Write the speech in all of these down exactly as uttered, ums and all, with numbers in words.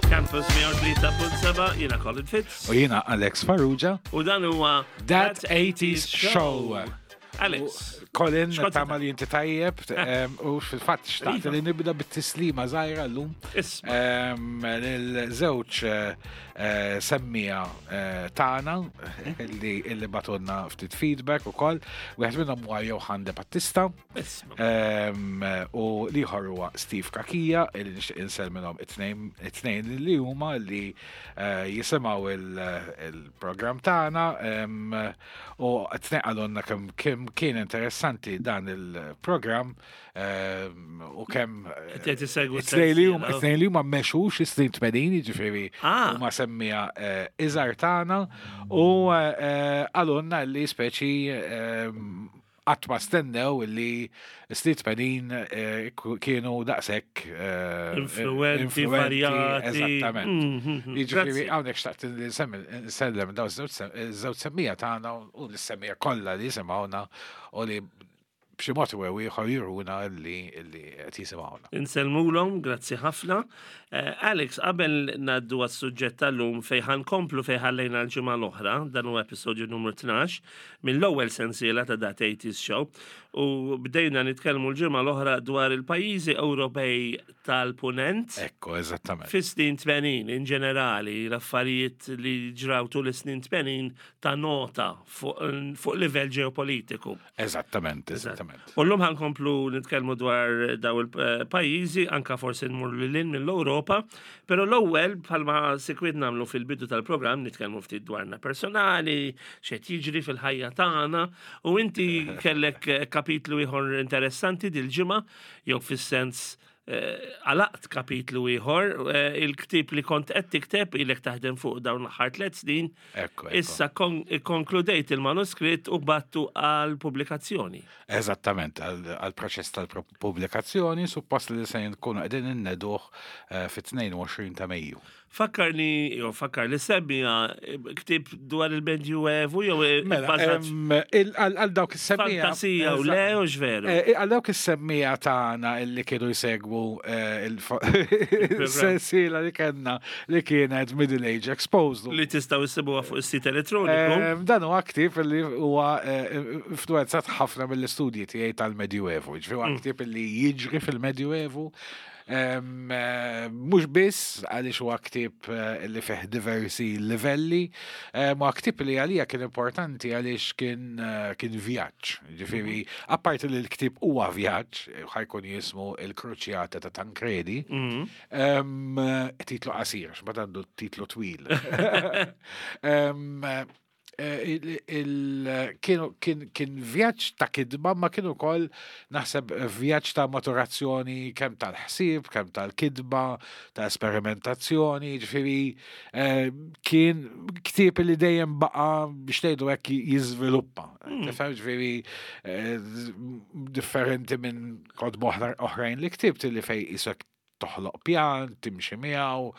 Campus mija u tlieta punt seba', jiena Colin Fitz. U jiena Alex Farrugia. U dan huwa That eighties Show. Alex. Colin, X'kont tama li inti tajjeb, em, u fil-fatt xtaqt Iva. li nibda bit-tislima żgħira llum. Isma'. Em, Lil-żewġ eh, eh, semmija eh, tagħna li li bagħtulna ftit feedback ukoll. Wieħed minnhom huwa Johan De Battista. Isma'. Em, u l-ieħor huwa Steve Kakija, illi nixtieq insellmilhom it-tnejn it-tnejn li huma li eh, jisimgħu il-programm tagħna em, u t-tnejn qalulna kemm kemm kien interessanti dan il-programm em, u kemm Qed isegwu it-tnejn li huma s-sensiela. it-tnejn li huma mexux is-snin tmenin, jiġifieri Ah. huma semmija eh, iżgħar tagħna u eh, qalulna li speċi em, qatt ma stennew li snin tmenin eh, kienu daqshekk eh, Influenti, varjati. Eżattament. Mhm, Jiġifieri grazzi. hawnhekk xtaqt li nsemmi nsellem daw iż-żewġ semmija tagħna u l-semmija kollha li jisimgħuna u li b'xi mod jew ieħor juruna li li qed jisimgħuna. Insellmulhom, grazzi ħafna. Eh, Alex, qabel ngħaddu għas-suġġett tal-lum fejn ħankomplu fejn ħallejna l-ġimgħa l-oħra, dan huwa episodju numru tnax mill-ewwel sensiela ta' That eighties Show, u bdejna nitkellmu l-ġimgħa l-oħra dwar il-pajjiżi Ewropej tal-Punent. Ekku, eżattament. Fis-snin tmenin, in ġenerali, l-affarijiet li ġraw tul is-snin tmenin ta' nota fuq fuq livell ġeopolitiku. Eżattament, eżattament. U llum ħankomplu nitkellmu dwar daw il-pajjiżi, anka forsi nmur lil hinn mill-Ewropa, però l-ewwel bħalma sikwit nagħmlu fil-bidu tal-programm nitkellmu ftit dwarna personali, x'qed jiġri fil-ħajja tagħna, u inti kellek kapitlu ieħor interessanti dil-ġimgħa, jew fis-sens eh, għalaqt kapitlu ieħor, eh, il-ktieb li kont qed tikteb ilek taħdem fuq dawn l-aħħar tliet snin, Ekku, ekku. issa kon- konkludejt il-manuskritt u battu għal pubblikazzjoni. Eżattament, għal proċess tal-pubblikazzjoni, suppost li se nkunu qegħdin inneduh eh, fit-tnejn u għoxrin ta' Mejju. Fakkarni, jew fakkar li semmija ktieb dwar il-Medjuevu jew Mela, bbażat em, il- għal għal dawk is-semmija. fantasija u le u x'veru. Eh, Għal dawk is-semmija tagħna illi kienu jsegwu eh, il-sensiela li kellna li kienet Middle Age Exposed. Li tistgħu issibuha fuq is-sit elettroniku. Em, Dan huwa ktieb li huwa eh, influenzat ħafna mill-istudji tiegħi tal-Medjuevu. Ġifieri huwa ktieb li jiġri fil-Medjuevu. Em, eh, Mhux biss għaliex huwa ktieb eh, li fih diversi livelli, em, huwa ktieb li għalija kien importanti għaliex kien eh, kien vjaġġ. Ġifieri, apparti li l-ktieb huwa vjaġġ, ħa jkun jismu Il-Kruċjata ta' Tancredi. Mhm. Em, Titlu qasir, x'bad għandu titlu twil. Em, eh, il- il- kienu- Kien kien vjaġġ ta' kidba, ma kien ukoll naħseb vjaġġ ta' maturazzjoni kemm tal-ħsieb, kemm tal-kidba, ta' esperimentazzjoni, ġifieri eh, kien ktieb li dejjem baqa' biex ngħidu hekk jiżviluppa. Tifhem, ġifieri eh, differenti minn kotba oħra- oħrajn li ktibt li fej isek toħloq pjan, timxi miegħu,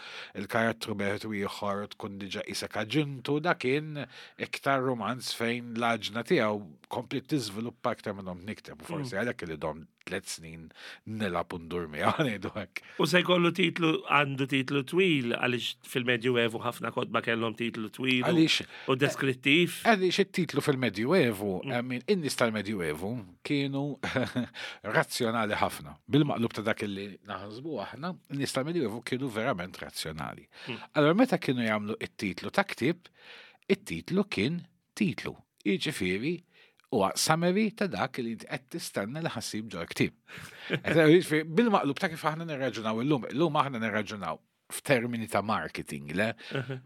il-karattru wieħed u ieħor tkun diġà isek aġintu, da kien iktar romanz fejn l-aġna tiegħu Kompli tiżviluppa aktar minnhom nikteb, u forsi għalhekk li dom tliet snin nilgħab u ndur miegħu, ngħidu hekk. U se jkollu titlu, għandu titlu twil, għaliex fil-Medjuevu ħafna kotba kellhom titlu twil u- Għaliex u deskrittiv. Għaliex it-titlu fil-Medjuevu, I mean, in-nies tal-Medjuevu kienu razzjonali ħafna. Bil-maqlub ta' dak li naħsbu aħna, in-nies tal-Medjuevu kienu verament razzjonali. Allora, meta kienu jagħmlu it-titlu ta' ktieb, it-titlu kien titlu. Jiġifieri, huwa summary ta' dak li inti qed tistenna li ħa ssib ġol-ktieb. Jiġifieri, bil-maqlub ta' kif aħna nirraġunaw illum, illum aħna nirraġunaw f'termini ta' marketing, le?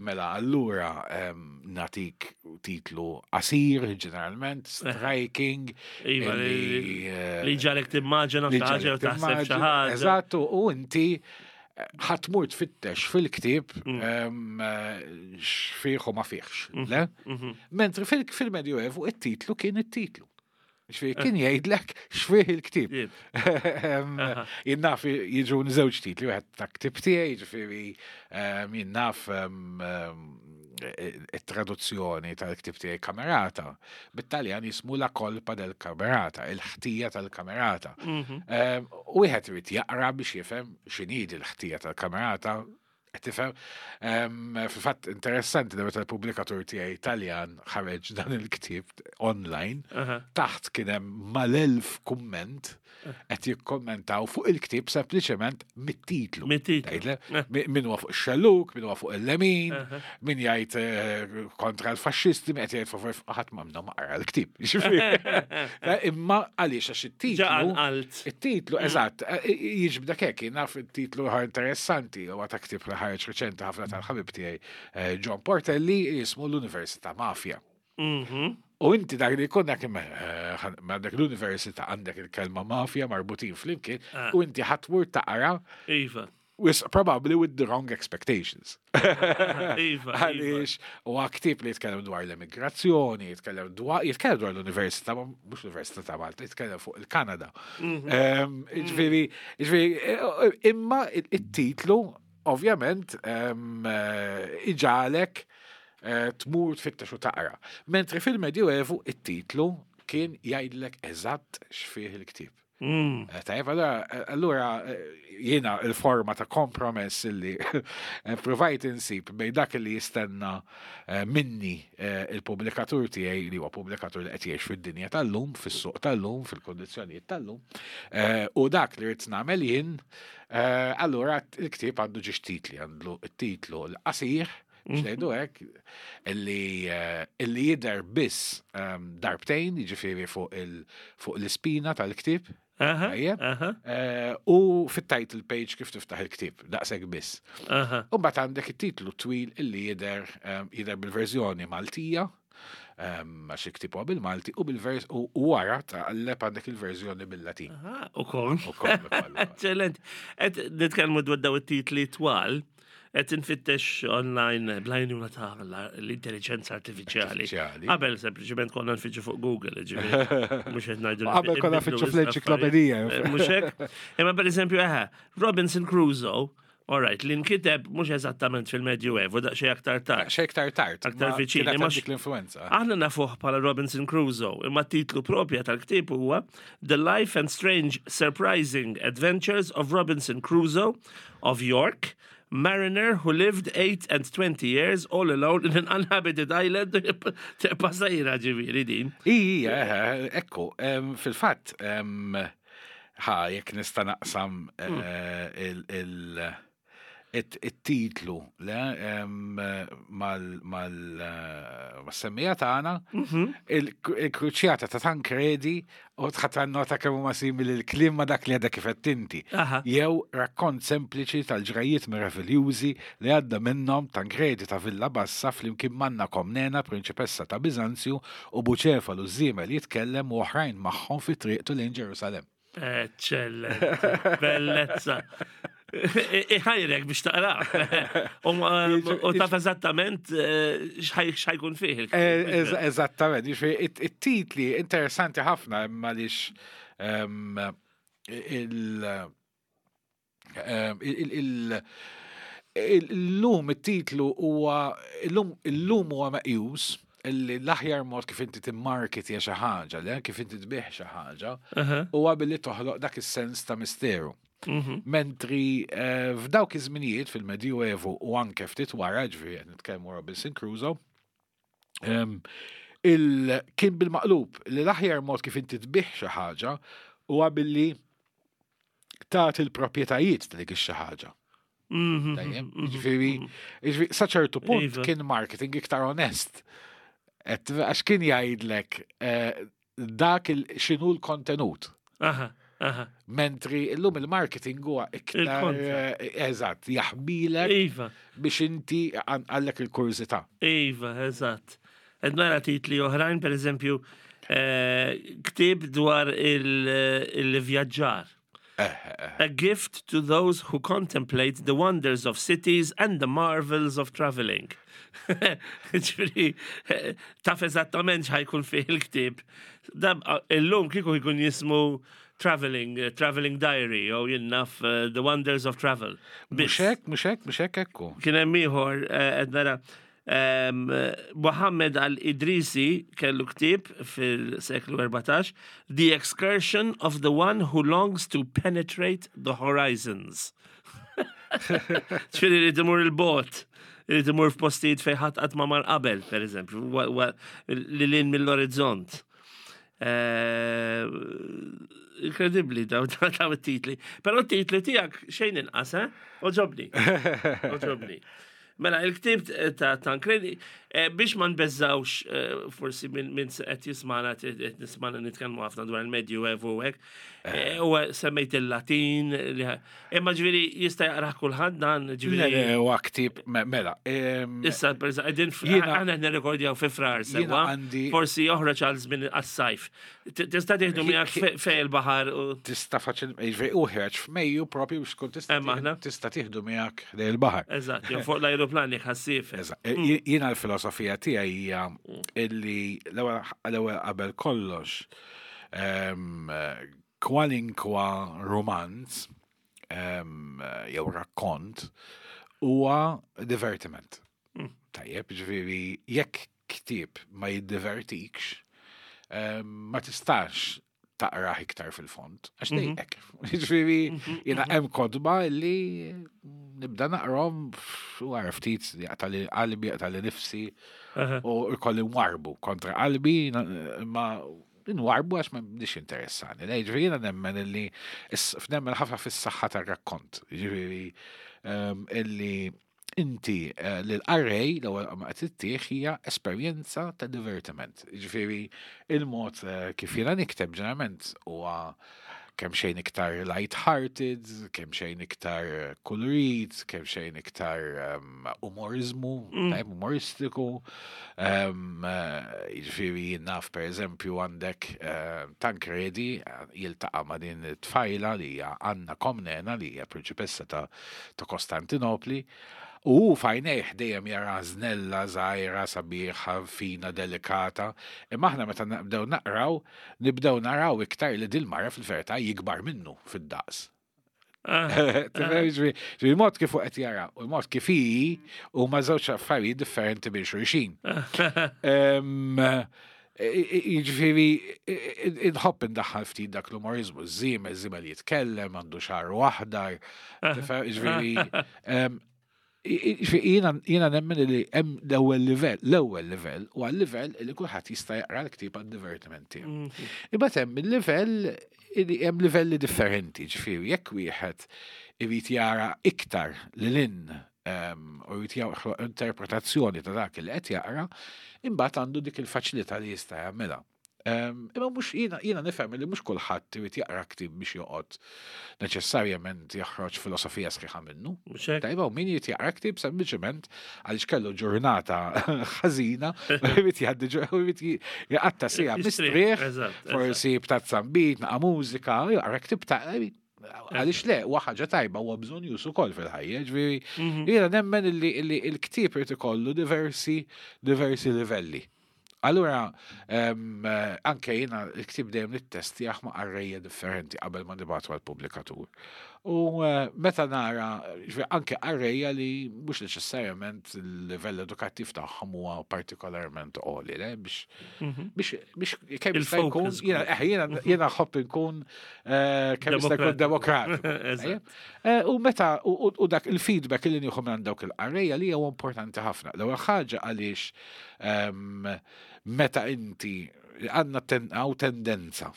Mela, allura em, natik titlu qasir, ġeneralment, striking, Iva, li li, eh, li ġalek timmaġina li xi ħaġa u ġalek taħseb xi timmaġina. ħaġa. Eżattu, u inti eh, ħa tmur tfittex fil-ktieb Mm. em, eh, x'fih u ma fihx, le? Mhm. Mentri fil- fil-Medjuevu it-titlu kien it-titlu. X'fih kien jgħidlek x'fih il-ktieb. Jib. Em, Aha. Jien naf jiġu żewġ titli, wieħed ta' ktieb tiegħi, jiġifieri em, jien naf em, em, it-traduzzjoni tal-ktieb tiegħi Camerata. Bit-Taljan jismu La colpa del Camerata, il-ħtija tal-Camerata. Mhm. Em, U wieħed irid jaqra biex jifhem x'inhi l-ħtija tal-Camerata. Qed tifhem? Em, Fil-fatt interessanti li meta l-pubblikatur tiegħi Italjan ħareġ dan il-ktieb online, Aha. taħt kien hemm mal-elf kumment qed jikkommentaw fuq il-ktieb sempliċement mit-titlu. Mit-titlu. Tgħidle, Eh. mi- Min huwa fuq ix-xellug, min huwa fuq il-lemin, Aha. min jgħid eh, kontra l-faxxisti, min qed jgħid favur ħadd ma minnhom ma qara l-ktieb. Jiġifieri, imma għaliex għax Ġa it-titlu. għalt. Il-titlu, eżatt, eh, jiġbdek hekk, naf il-titlu ħar interessanti, u ta' ktieb li ħareġ reċenti ħafna tal-ħabib tiegħi eh, John Portelli jismu l-Università Mafia. Mhm. U inti dak li jkun dak eh, għandek l-università, għandek il-kelma mafia marbutin flimkien, Ah. u inti ħa tmur taqra Iva. with probably with the wrong expectations. Iva, iva. Għaliex, u ktieb li jitkellem dwar l-immigrazzjoni, jitkellem dwar, jitkellem dwar l-Università, ma mhux l-Università ta' Malta, jitkellem fuq il-Kanada. Mhm. Em, Ġifieri, ġifieri, eh, imma il-titlu, ovvjament, em, eh, iġagħlek eh, tmur tfittex u taqra. Mentri fil-Medjuevu it-titlu kien jgħidlek eżatt x'fih il-ktieb. Mm. Eh, Tajjeb, allora, allura eh, jiena il-forma ta' kompromess illi eh, provajt insib bejn dak li jistenna eh, minni eh, il-pubblikatur tiegħi, li huwa pubblikatur li qed jgħix fid-dinja tal-lum, fis-suq tal-lum, fil-kondizzjonijiet tal-lum, eh, u dak li rrid nagħmel jien, eh, allura il-ktieb għandu żewġ titli, għandu it-titlu l-qasir, biex ngħidu hekk, illi eh, illi jidher biss ehm, darbtejn, jiġifieri fuq il- fuq l-ispina tal-ktieb, Aha. Tajjeb. Aha. Eh, u fit-title page kif tiftaħ il-ktieb, daqshekk biss. Aha. U mbagħad għandek it-titlu twil illi jidher ehm, jidher bil-verżjoni Maltija, ehm, għax il-ktieb huwa bil-Malti, u bil-vers u u wara taqleb għandek il-verżjoni bil-Latin. Aha, ukoll. Ukoll, ukoll, ukoll. Eccellent. Qed nitkellmu dwar daw it-titli twal, qed infittex online bl-għajnuna ta' l-intelligenza artifiċjali. Artifiċjali. Qabel sempliċement konna nfittxu fuq Google, ġifieri. Mhux qed ngħidu Qabel konna nbidlu nfittxu fl-enċiklopedija. l-affarijiet. Eh, Mhux hekk? Imma pereżempju eħe, Robinson Crusoe, all right, li nkiteb mhux eżattament fil-Medjuevu, daqsxejn aktar tard. Xejn aktar tard. Aktar ma viċin, kienet imma dik l-influenza. Aħna nafuh bħala Robinson Crusoe, imma titlu propja tal-ktieb huwa The Life and Strange Surprising Adventures of Robinson Crusoe of York, mariner who lived eight and twenty years all alone in an uninhabited island. Pasajra ġifieri din. Ija, eh, ekku, em, fil-fatt, em, ħa, jekk nista' naqsam eh, il- il- it- it-titlu le, em, mal mal eh, mas-semmija tagħna, il-kruċjata ta' Tancredi u tħadd nota kemm huma simili l-kliem ma' dak li għadha kif qed inti. Aha. Jew rakkont sempliċi tal-ġrajiet meraviljużi li għadda minnhom Tancredi ta' Villa Bassa flimkien m'Anna Komnena, prinċipessa ta' Biżanzju, u Buċefalu żiemel jitkellem u oħrajn magħhom fi triqtu lejn Ġerusalem. Eccellent, bellezza. Iħajrek biex taqra. U ma- U taf eżattament eh, x'ħaj x'ħa jkun fih Eh, il-ktieb. ez- Eżattament, jiġifieri it- it-titli interessanti ħafna imma għaliex ehm, il- ehm, il- il- il- illum it-titlu huwa illum illum huwa meqjus Illi l-aħjar mod kif inti timmarketja xi ħaġa, le kif inti tbigħ xi ħaġa, Aha. huwa billi toħloq dak is-sens ta' misteru. Mhm. Mentri eh, f'dawk iż-żminijiet fil-Medjuevu u anke ftit wara, ġifieri qed nitkellmu Robinson Crusoe, em, il kien bil-maqlub li l-aħjar mod kif inti tbigħ xi ħaġa huwa billi tagħti l-proprjetajiet ta' dik ix-xi ħaġa. Mhm. Tajjeb, Mhm. ġifieri, ġifieri, sa ċertu punt Iva. kien marketing iktar onest. Et, għax kien jgħidlek eh, dak il x'inhu l-kontenut. Aha, aha. Mentri illum il-marketing huwa iktar Il-kontra. eh, eżatt, jaħbilek Iva, biex inti għallek il-kurżità. iva, eżatt. Qed nara titli oħrajn, per eżempju, eh, ktieb dwar il- il-vjaġġar. A gift to those who contemplate the wonders of cities and the marvels of traveling. Ġifieri, eh, taf eżattament x'ħa jkun fih il-ktieb. Dab, illum kieku jkun jismu Traveling, eh, Traveling Diary, jew jien naf eh, The Wonders of Travel. Mhux hekk, mhux hekk, mhux hekk ekku. Kien hemm ieħor eh, qed nara em, Muhammad al-Idrisi kellu ktieb fil-seklu erbatax, The Excursion of the One Who Longs to Penetrate the Horizons. Ġifieri li timur il-bot, li timur f'postijiet fejn ħadd qatt ma mar qabel, per eżempju, wa- wa- li lin mill-orizzont. Eh, Inkredibbli daw daw it-titli. Però t-titli tiegħek xejn inqas, eh? Għoġobni. Għoġobni. Mela, il-ktieb ta' Tancredi, eh, biex ma nbeżżawx eh, forsi minn min qed jismana qed nismana nitkellmu ħafna dwar il-Medjuevu u hekk, eh, u semmejt il-Latin, li- imma ġifieri jista' jaqrah kulħadd dan, Le, ġifieri. le, huwa ktieb, me- mela. em, Issa, per eżempju, qegħdin f- Jiena- aħna qed nirrekordjaw fi Frar Jiena sewwa, għandi- forsi joħroġ għal żmien għas-sajf. T- Tista' tieħdu miegħek fe- fej il-baħar u Tista' faċil, ġifieri u ħreġ f'Mejju propju biex tkun tista' Hemm aħna. tista' tieħdu miegħek lejn il-baħar. Eżatt, jew fuq l-ajruplan jekk ħassiefer. Eżatt. J- Jiena l-filosofija tiegħi hija illi l-ewwel l-ewwel qabel kollox em, kwalinkwa romanz em, jew rakkont huwa divertiment. Tajjeb, ġifieri jekk ktieb ma jiddivertikx, em, ma tistax taqrah iktar fil-fond, għax dejqek. Ġifieri, jiena hemm kotba li nibda naqrom u għara ftit jaqtali qalbi, jaqtali nifsi Aha. u jkolli nwarbu kontra qalbi, na- ma nwarbu għax ma nix interessani. Le, ġifieri jiena nemmen illi, is- nemmen ħafna fis-saħħa tar-rakkont. Ġifieri, em, illi inti eh, l-qarrej l-ewwel ma qed ittih hija esperjenza ta' divertiment. Ġifieri il-mod eh, kif jiena nikteb ġeneralment huwa kemm xejn iktar light-hearted, kemm xejn iktar kolorit, kemm xejn iktar um, umorizmu, mm. tajb umoristiku. Um, Jiġifieri jien naf per eżempju għandek uh, Tancredi eh, jiltaqa' ma' din it-tfajla li hija Anna Komnena li hija prinċipessa ta', ta' Kostantinopli. U hu f'għajnejh dejjem jara żnella żgħira, sabiħa, fina, delikata. Imma aħna meta nibdew naqraw, nibdew naraw iktar li dil-mara fil-verità jikbar minnu fid-daqs. Ah, Tifhem, ġifieri, ġifieri il-mod kif hu qed jara u l-mod kif hi huma żewġ affarijiet differenti minn xulxin. Em, Jiġifieri inħobb indaħħal ftit dak l-umorizmu, żiemel, żiemel jitkellem, għandu xagħru aħdar, tifhem, ġifieri, em, jiġifieri jiena jiena nemmen li hemm l-ewwel livell, l-ewwel livell huwa l-livell li kulħadd jista' jaqra l-ktieb għad-divertiment tiegħu. mhm. Imbagħad hemm il-livell li hemm livelli differenti, ġifieri jekk wieħed irid jara iktar lil hinn em, u jrid joħloq interpretazzjoni ta' dak li qed jaqra, imbagħad għandu dik il-faċilità li jista' jagħmilha. Em, Imma mhux jiena jiena nifhem li mhux kulħadd irid jaqra ktieb biex joqgħod neċessarjament joħroġ filosofija sħiħa minnu. Mhux hekk? Tajba, u min jrid jaqra ktieb sempliċement għaliex kellu ġurnata ħażina, u jrid jgħaddi ġur- u jrid jqatta' siegħa Jistrieħ, mistrieħ, eżatt, eżatt. forsi b'tazza nbid, naqa' mużika, jaqra ktieb ta' għaliex le, huwa ħaġa tajba, huwa bżonn ukoll fil-ħajja, ġifieri Mhm. jiena nemmen illi illi il-ktieb irid ikollu diversi diversi livelli. Allura, em, eh, anke jiena il-ktieb dejjem nittestjah ma' qarrejja differenti qabel ma nibgħatu għall-pubblikatur. U eh, meta nara, ġifieri anke qarrejja li mhux neċessarjament il-livell edukattiv tagħhom huwa partikolarment għoli, le, biex Mhm. biex biex kemm jista' jkun Il-focus jiena eh, jiena jiena nħobb inkun eh, kemm jista' jkun demokratiku. Eżatt. Eh, U meta u u- u dak il-feedback li nieħu minn dawk il-qarrejja li huwa importanti ħafna. L-ewwel ħaġa għaliex ehm, meta inti għandna ten, hawn tendenza,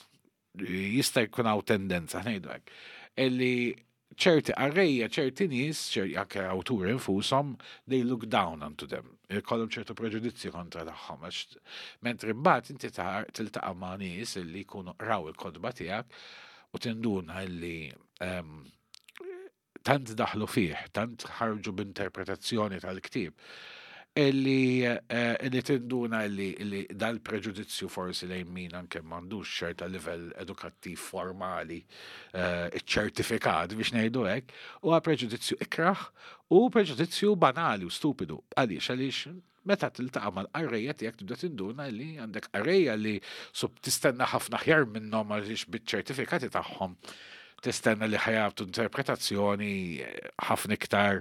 jista' jkun hawn tendenza, ngħidu hekk, illi ċerti qarrejja, ċerti nies, ċerti anke awturi infushom, they look down onto them. Ikollhom ċertu preġudizzji kontra tagħhom. Għax mentri mbagħad inti ta- tiltaqa' ma' nies illi jkunu qraw il-kotba tiegħek u tinduna illi ehm, tant daħlu fih, tant ħarġu b'interpretazzjoni tal-ktieb, illi, eh, illi tinduna illi, illi dal-preġudizzju forsi lejn min anke m'għandux ċerta livell edukattiv formali eh, ċertifikat biex ngħidu hekk, huwa preġudizzju ikraħ u preġudizzju banali u stupidu. Għaliex, għaliex meta tiltaqa' mal-qarrejja tiegħek tibda tinduna li għandek qarrejja li sub tistenna ħafna aħjar minnhom għaliex biċ-ċertifikati tagħhom tistenna li ħa jagħtu interpretazzjoni eh, ħafna iktar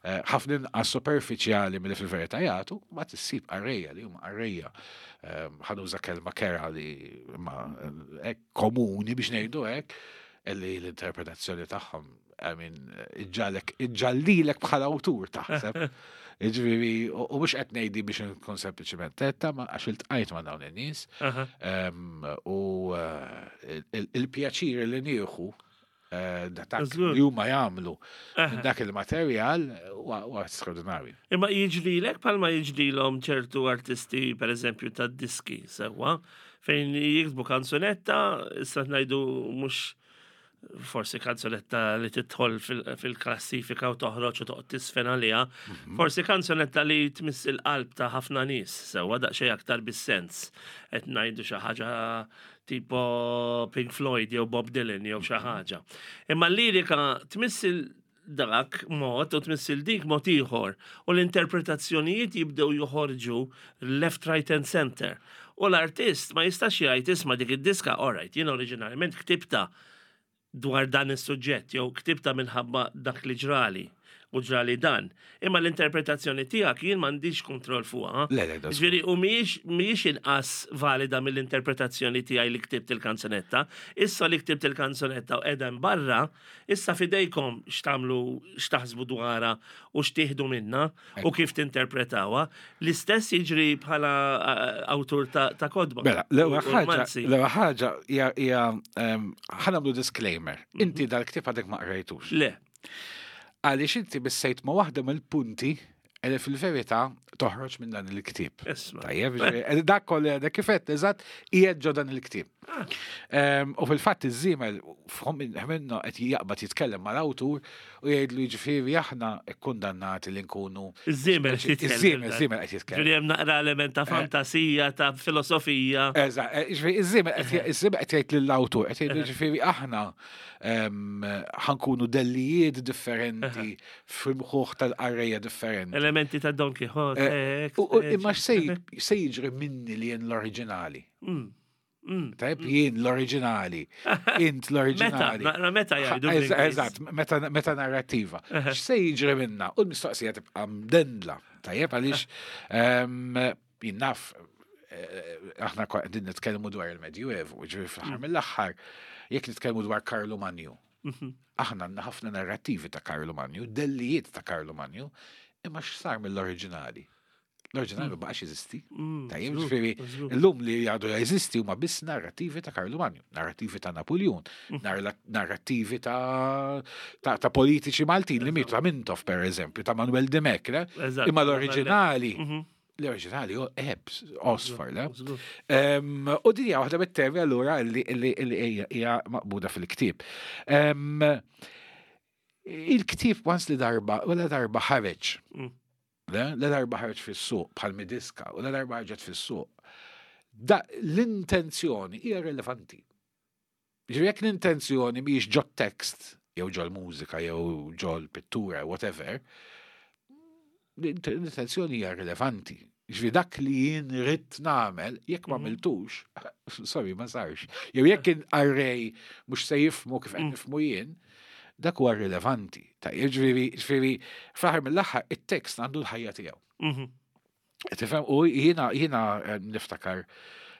eh, ħafna inqas superfiċjali milli fil-verità jagħtu, ma tissib qarrejja li huma qarrejja eh, ħa nuża kelma kerha li ma hekk komuni biex ngħidu hekk illi l-interpretazzjoni tagħhom I mean, iġġalek, iġġallilek bħala awtur taħseb. Ġifieri, u u mhux qed ngħidi biex nkun sempliċiment tetta, ma għax iltqajt ma' dawn in-nies. Aha. Em, U eh, il- il-pjaċir li nieħu eh, dak Żgur. li huma jagħmlu Aha. minn dak il-materjal huwa huwa straordinarju. Imma jiġrilek bħalma jiġrilhom ċertu artisti, per eżempju, ta' diski, sewwa, fejn jiktbu kanzunetta, issa ngħidu mhux forsi kanzunetta li tidħol fil- fil-klassifika u toħroġ u toqgħod tisfen għaliha, forsi kanzunetta li tmiss il-qalb ta' ħafna nies, sewwa daqsxejn aktar bis-sens. Qed ngħidu xi ħaġa tipo Pink Floyd jew Bob Dylan jew xi ħaġa. Imma l-lirika tmiss il dak mod u tmiss il dik mod ieħor u l-interpretazzjonijiet jibdew joħorġu left, right and center. U l-artist ma jistax jgħid isma' dik id-diska, all right, jien oriġinarjament ktibta dwar dan is-suġġett jew ktibta minħabba dak li ġrali u ġrali dan. Imma l-interpretazzjoni tiegħek jien m'għandix kontroll fuqha. Le, le, da Ġifieri, u mhijiex mhijiex inqas valida mill-interpretazzjoni tiegħi li ktibt il-kanzunetta. Issa li ktibt il-kanzunetta u qiegħda barra, issa fidejkom x'tagħmlu x'taħsbu dwarha u x'tieħdu minna u kif tinterpretawha. L-istess jiġri bħala eh, awtur ta' ta' kotba. Mela, l-ewwel U- u ħaġa, romanzi. l-ewwel ħaġa hija hija em, ħa nagħmlu disclaimer. Inti dal-ktieb għadek ma qrajtux. Le, Għaliex inti missejt ma' waħda mill-punti li fil-verità toħroġ minn dan il-ktieb. isma'. Tajjeb, ġifieri, dak kollu għadek kif għedt, eżatt, qiegħed ġo dan il-ktieb. Ah. Em, U fil-fatt iż-żiemel minnu qed jaqbad jitkellem mal-awtur u jgħidlu jiġifieri aħna kkundannati li nkunu Iż-żiemel qed jitkellem Iż-żiemel, dan. iż-żiemel qed jitkellem. Ġifieri hemm naqra element ta' fantasija, ta' filosofija. Eżatt, eh, ġifieri iż-żiemel qed iż-żiemel qed jgħid lill-awtur, qed jgħidlu ġifieri aħna em, ħa nkunu dellijiet differenti fil-mħuħ tal-qarrejja differenti. Elementi ta' Don Quixote. Eh, ek, U u- eh, imma x'se se jiġri minni li jien l-oriġinali? Mm, mm. Tajb, jien l-oriġinali, int Meta, l-oriġinali. naqra meta jgħidu. Eż- bl-Ingliż. Eżatt, meta, meta narrativa. X'se jiġri minna? U l-mistoqsija tibqa' mdendla. Tajjeb, għaliex em, jien naf eh, aħna kwa- qegħdin nitkellmu dwar il-Medjuevu, ġifieri fl-aħħar mill-aħħar, jekk nitkellmu dwar Karlu Manju. Aħna għandna ħafna narrativi ta' Karlu Manju, dellijiet ta' Karlu Manju, imma x'sar mill-oriġinali? L-oriġinali ma baqax jeżisti. Mm, Tajjeb, żgur, ġifieri, żgur. illum li għadu jeżisti huma biss narrativi ta' Karlu Manju, narrativi ta' Napoleon, narla- narrativi ta' ta' ta' politiċi Maltin li mietu ta' Mintoff per eżempju, ta' Manuel Dimech, le? Eżatt, Imma l-oriġinali, Mhm. l-oriġinali hu ebs, osfar, le? Żgur. Em, U din hija waħda mit-temi allura li li- li hija hija maqbuda fil-ktieb. Em, Il-ktieb once li darba, u la darba ħareġ. Mm. Le, la darba ħareġ fis-suq bħal midiska u la darba ħarġet fis-suq. Da l-intenzjoni hija relevanti. Ġifieri jekk l-intenzjoni mhijiex ġo tekst jew ġo l-mużika jew ġo l-pittura, whatever, l-int- l-intenzjoni hija rilevanti. Ġifieri dak li jien ridt nagħmel, jekk ma Mhm. għamiltux, sorry, ma sarx. Jew jekk il-qarrej mhux se jifhmu kif qed Mm. nifhmu jien, Dak huwa rilevanti. Ta' jiġifieri, ġifieri, fl-aħħar mill-aħħar it-tekst għandu l-ħajja tiegħu. Mhm. Tifhem, u jiena jiena eh, niftakar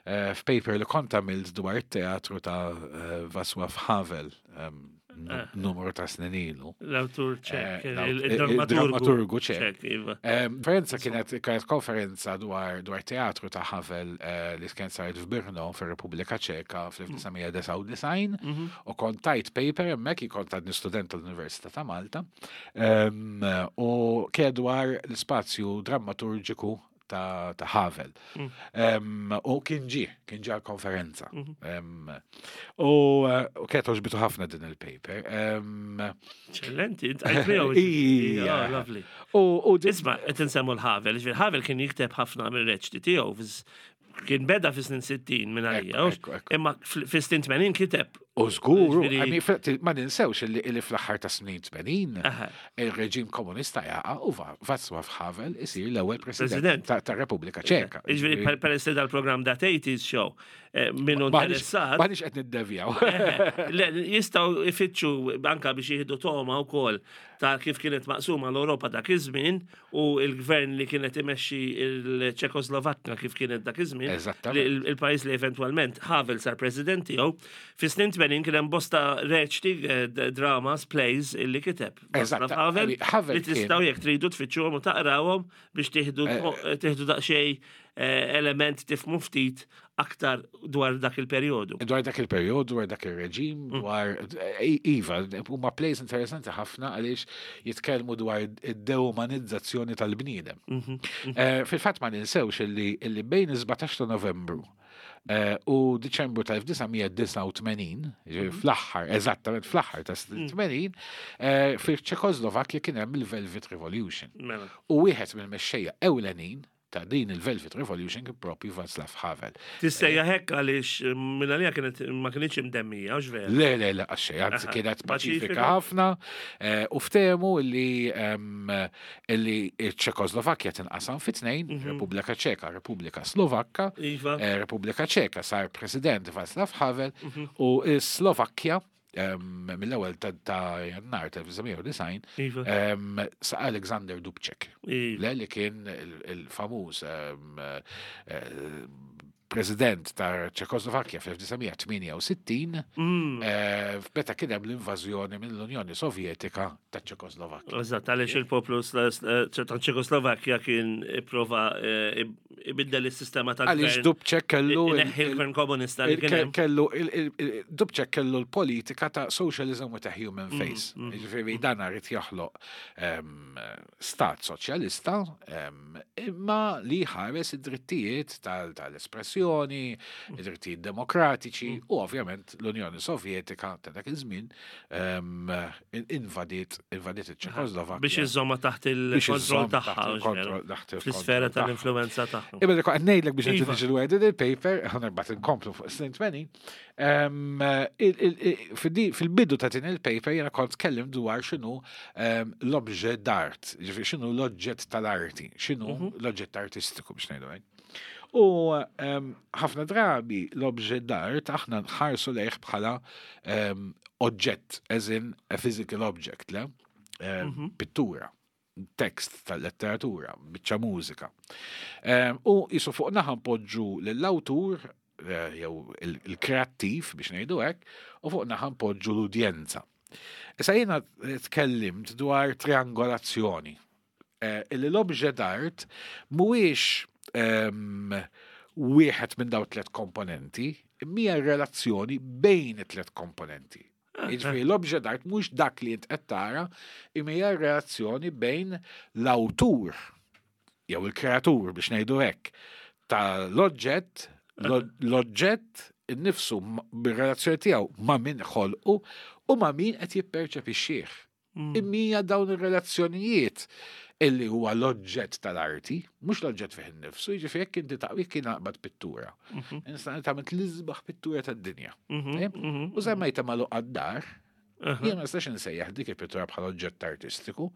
eh, f'paper li kont għamilt dwar it-teatru ta' eh, Václav Havel em, nu- Eh. numru ta' snin ilu. L-awtur ċek, Eh, l-aut- il-dramaturgu il-dramaturgu ċek. ċek, iva. Em, Konferenza kienet kienet konferenza dwar dwar teatru ta' Havel eh, li kien saret f'Brno fir-Repubblika Ċeka fl-elf disa' mija disgħa u disgħin Mhm. u kont tajt paper hemmhekk, kont għadni student tal-Università ta' Malta, em, u kien dwar l-ispazju drammaturġiku ta', ta' Havel. Mm. Em, u kien ġie, kien ġie għal-konferenza. Mhm. Em, U eh, u kienet għoġbitu ħafna din il-paper. Em, Eccellenti, int għajt miegħu. Ija. Oh, lovely. U u din- Isma, qed insemmu l-Havel, ġifieri Havel kien jikteb ħafna mir-reċti tiegħu, fis- kien beda fi snin sittin minn għalija, Ekku, ekku, ekku. imma fl- fi snin tmenin kiteb. U żguru, Ġifieri- I mean, fl- ma ninsewx illi illi fl-aħħar ta' snin tmenin Aha. il-reġim komunista jaqa' u Va- Václav Havel isir l-ewwel President. president ta' ta' Repubblika Ċeka. Ġifieri per- peress li dal-programm That eighties Show, eh, minnu M'aħniex interessat. m'aħniex qed niddevjaw. Le, jistgħu ifittxu anka biex jieħdu toma wkoll ta' kif kienet maqsuma l-Ewropa dak iż-żmien u l-gvern li kienet imexxi il-Ċekoslovakka kif kienet dak iż-żmien. Eżattament. li- il- Il-pajjiż li eventwalment Havel sar president tiegħu. Fi snin tmenin kien hemm bosta reċti, eh, d- dramas, plays illi kiteb. Eżatt, Václav Havel I mean, Havel li kien- tistgħu jekk tridu tfittxuhom u taqrawhom biex tieħdu Eh, tieħdu daqsxejn eh, element tifmu ftit aktar dwar dak il-perjodu. Dwar dak il-perjodu, dwar dak il-reġim, Mm. dwar eh, Iva, huma plays interessanti ħafna għaliex jitkellmu dwar id-deumanizzazzjoni tal-bniedem. Mhm, Eh, Fil-fatt ma ninsewx illi illi bejn is-sbatax ta' Novembru eh, u Diċembru tal-elf disa' mija disgħa u tmenin, ġifieri Mhm. fl-aħħar, eżattament fl-aħħar ta' Mm. tmenin, eh, fil-Ċekoslovakkja kien hemm il-Velvet Revolution. Mela. U wieħed mill-mexxejja ewlenin ta' din il-Velvet Revolution kien propju Václav Havel. Tissejjaħ hekk għaliex minn għalija kienet ma kienx imdemmija, hux vera? Le, le, le, għaxej, anzi Aha, kienet paċifika paċifika. ħafna eh, u ftehmu illi em, illi ċ-Ċekoslovakkja tinqasam fi tnejn, Repubblika Ċeka, Repubblika Slovakka. Iva. eh, Repubblika Ċeka sar president Václav Havel u Slovakkja em, mill-ewwel ta' ta' Jannar ta' elf disa' mija disgħin Iva. em, sa' Alexander Dubček. Iva. Le li kien il- il-famuż em, eh, president ta' Ċekoslovakkja fl-elf disa' mija tmienja u sittin Mm. eh, meta kien hemm l-invażjoni mill-Unjoni Sovjetika ta' Ċekoslovakkja. Eżatt, għaliex il-poplu sla- sla- ta' Ċekoslovakkja kien ipprova eh, ibiddel is-sistema Għaliex tal-gvern. Dubček kellu il- Ineħħi l-gvern komunista li il- kien hemm. kellu il- il- il- Dubček kellu l-politika ta' socialism with a human Mm, face. Ġifieri dan irid joħloq em, stat soċjalista em, imma li ħares id-drittijiet tal- tal-espressjoni, id-drittijiet demokratiċi u ovvjament l-Unjoni Sovjetika ta' dak iż-żmien em, invadiet invadiet iċ-Ċekoslovakkja. Biex iżomma taħt Biex il-kontroll iżżomm taħt tagħha, hux vera? il-kontroll- taħt il-kontroll Fl-isfera tagħha. tal-influenza tagħha. Imma dik qed ngħidlek biex Iva. niġu dwar din il-paper, ħa mbagħad inkomplu fuq snin tmenin. em, il- il- il- fil- Fil-bidu ta' din il-paper jiena kont tkellim dwar x'inhu em, l-objet d'art, ġifieri x'inhu l-oġġett tal-arti, x'inhu l-oġġett artistiku biex ngħidu hekk. U em, ħafna drabi l-objet d'art aħna nħarsu lejh bħala em, oġġett, as in a physical object, le? Em, Pittura, tekst tal-letteratura, biċċa mużika. Em, U jisu fuq naħa npoġġu l-awtur, eh, jew il- il-kreattiv biex ngħidu hekk, u fuq naħa npoġġu l-udjenza. Issa jiena tkellimt dwar triangolazzjoni. Eh, Illi l-objet d'art mhuwiex em, wieħed minn daw tliet komponenti, imma relazzjoni bejn it-tliet komponenti. Jiġifieri l-objet d'art mhux dak li int qed tara, imma hija relazzjoni bejn l-awtur jew il-kreatur biex ngħidu hekk tal-oġġett, l-oġġett innifsu m- bir-relazzjoni tiegħu ma' min ħolqu u ma' min qed jipperċepixxih. Imma hija dawn ir-relazzjonijiet illi huwa l-oġġett tal-arti, mhux l-oġġett fih innifsu, jiġifieri jekk inti taqwi kien naqbad pittura. Nista' tagħmel l-isbaħ pittura tad-dinja. Mhm, mhm. U żammejta magħluq għad-dar, Aha. jien ma nistax insejjaħ dik il-pittura bħala oġġett artistiku,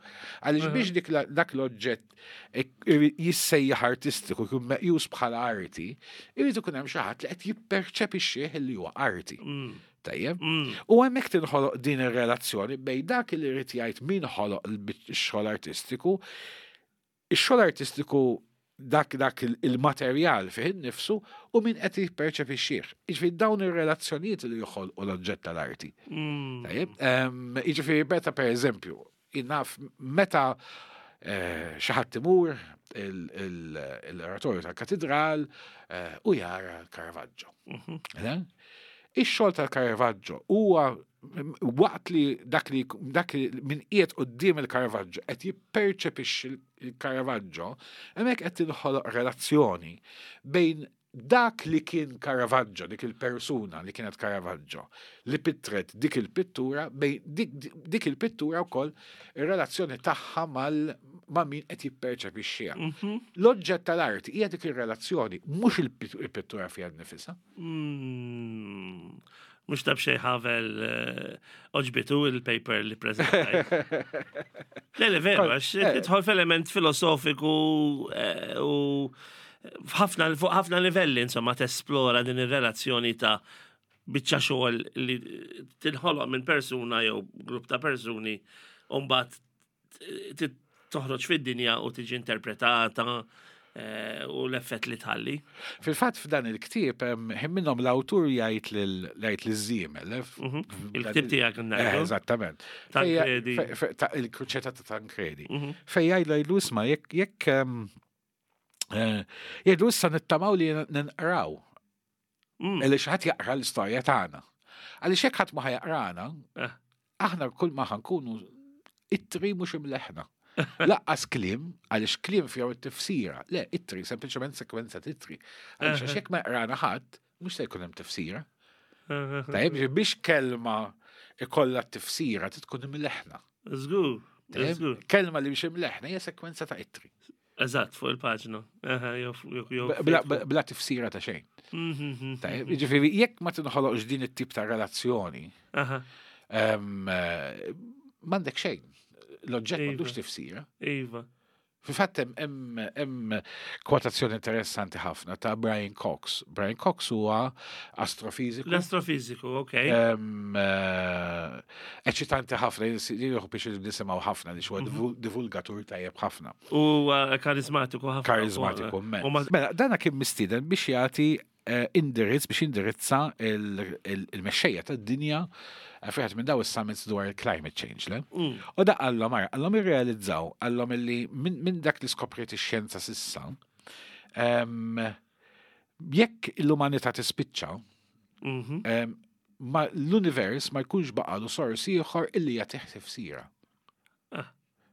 għaliex biex dik la- dak l-oġġett ik- jissejjaħ artistiku, jkun meqjus bħala arti, irid ikun hemm xi ħadd li qed jipperċepixxih li huwa arti. Mm. Tajjeb. Mm. U hemmhekk tinħoloq din ir-relazzjoni bejn dak li jrid jgħid min ħoloq il-xogħol artistiku, ix-xogħol artistiku dak dak il- il-materjal fih innifsu u min qed jipperċepixxih. Jiġifieri dawn ir-relazzjonijiet li joħolqu l-oġġett tal-arti. Mm. Tajjeb, em, jiġifieri meta per eżempju, naf meta eh, xi ħadd imur l-oratorju tal-katedral eh, u jara l-Caravaggio. Mhm. Le? Ix-xogħol tal-Caravaggio huwa waqt li dak li dak li min qiegħed quddiem il-Caravaggio qed jipperċepixxi il-Caravaggio, hemmhekk qed tinħoloq relazzjoni bejn dak li kien Caravaggio, dik il-persuna li kienet Caravaggio, li pittret dik il-pittura, bejn dik, dik il-pittura wkoll ir-relazzjoni tagħha mal ma' min qed jipperċepixxiha. Mhm. L-oġġett tal-arti hija dik ir-relazzjoni, mhux il-pittura fiha nnifisha. Mm. Mhux ta' b'xejn Havel eh, għoġbitu il-paper li prezentajt. Le, le, veru, għax Eh. tidħol f'element filosofiku eh, u f'ħafna fuq ħafna livelli, insomma, tesplora din ir-relazzjoni ta' biċċa xogħol li tinħoloq minn persuna jew grupp ta' persuni u mbagħad t- toħroġ fid-dinja u tiġi interpretata eh, u l-effett li tħalli. Fil-fatt f'dan il-ktieb hemm ħin minnhom l-awtur jgħid lil jgħid liż-żiemel. eh, Mhm. Il-ktieb tiegħek Eh, ngħidu. Eżattament. Tancredi. Fejja- fe- ta' Il-kruċeta ta' Tancredi. Mhm. Fej jgħidlu jgħidlu isma' jekk jekk em, eh, jgħidlu issa nittamaw li ninqraw. Mm. Illi xi ħadd jaqra l-istorja tagħna. Għaliex jekk ħadd ma ħa jaqrana, Eh. aħna kull ma ħa nkunu ittri mhux imleħna. Lanqas kliem, għaliex kliem fihom it-tifsira. Le, ittri, sempliċement sekwenza t'ittri. Għaliex għax jekk ma jaqrana ħadd, mhux se jkun hemm tifsira. Tajjeb, biex kelma ikollha tifsira tkun imleħna. Żgur, Tajjeb, żgur. Kelma li biex imleħna hija sekwenza ta' ittri. Eżatt, fuq il-paġna. Aha, jew jew jew. Bla, bla, bla tifsira ta' xejn. Mhm. Tajjeb, jiġifieri jekk ma tinħoloqx din it-tip ta' relazzjoni, Aha, em, eh, m'għandek xejn. L-oġġett Iva. m'għandux tifsira. iva. Fil-fatt hemm hemm hemm kwotazzjoni interessanti ħafna ta' Brian Cox. Brian Cox huwa astrofiżiku. L-astrofiziku, ok. Em, eh, Eċitanti ħafna, jieħu biex nisimgħu ħafna li huwa Mhm. divulgatur tajjeb ħafna. U uh, karizmatiku ħafna. Karizmatiku U immens. ma- Mela, dana kien mistieden biex jagħti eh, indirizz biex indirizza il- il- il-mexxejja tad-dinja eh, fejn minn daw is-summits dwar il-climate change, le? Mm. U da qallhom ara, qallhom irrealizzaw, qallhom illi minn min dak li skopriet ix-xjenza s'issa, em, jekk l-umanità tispiċċa, Mhm. em, ma l-univers ma jkunx baqalu sors ieħor illi jagħtih tifsira. Ah.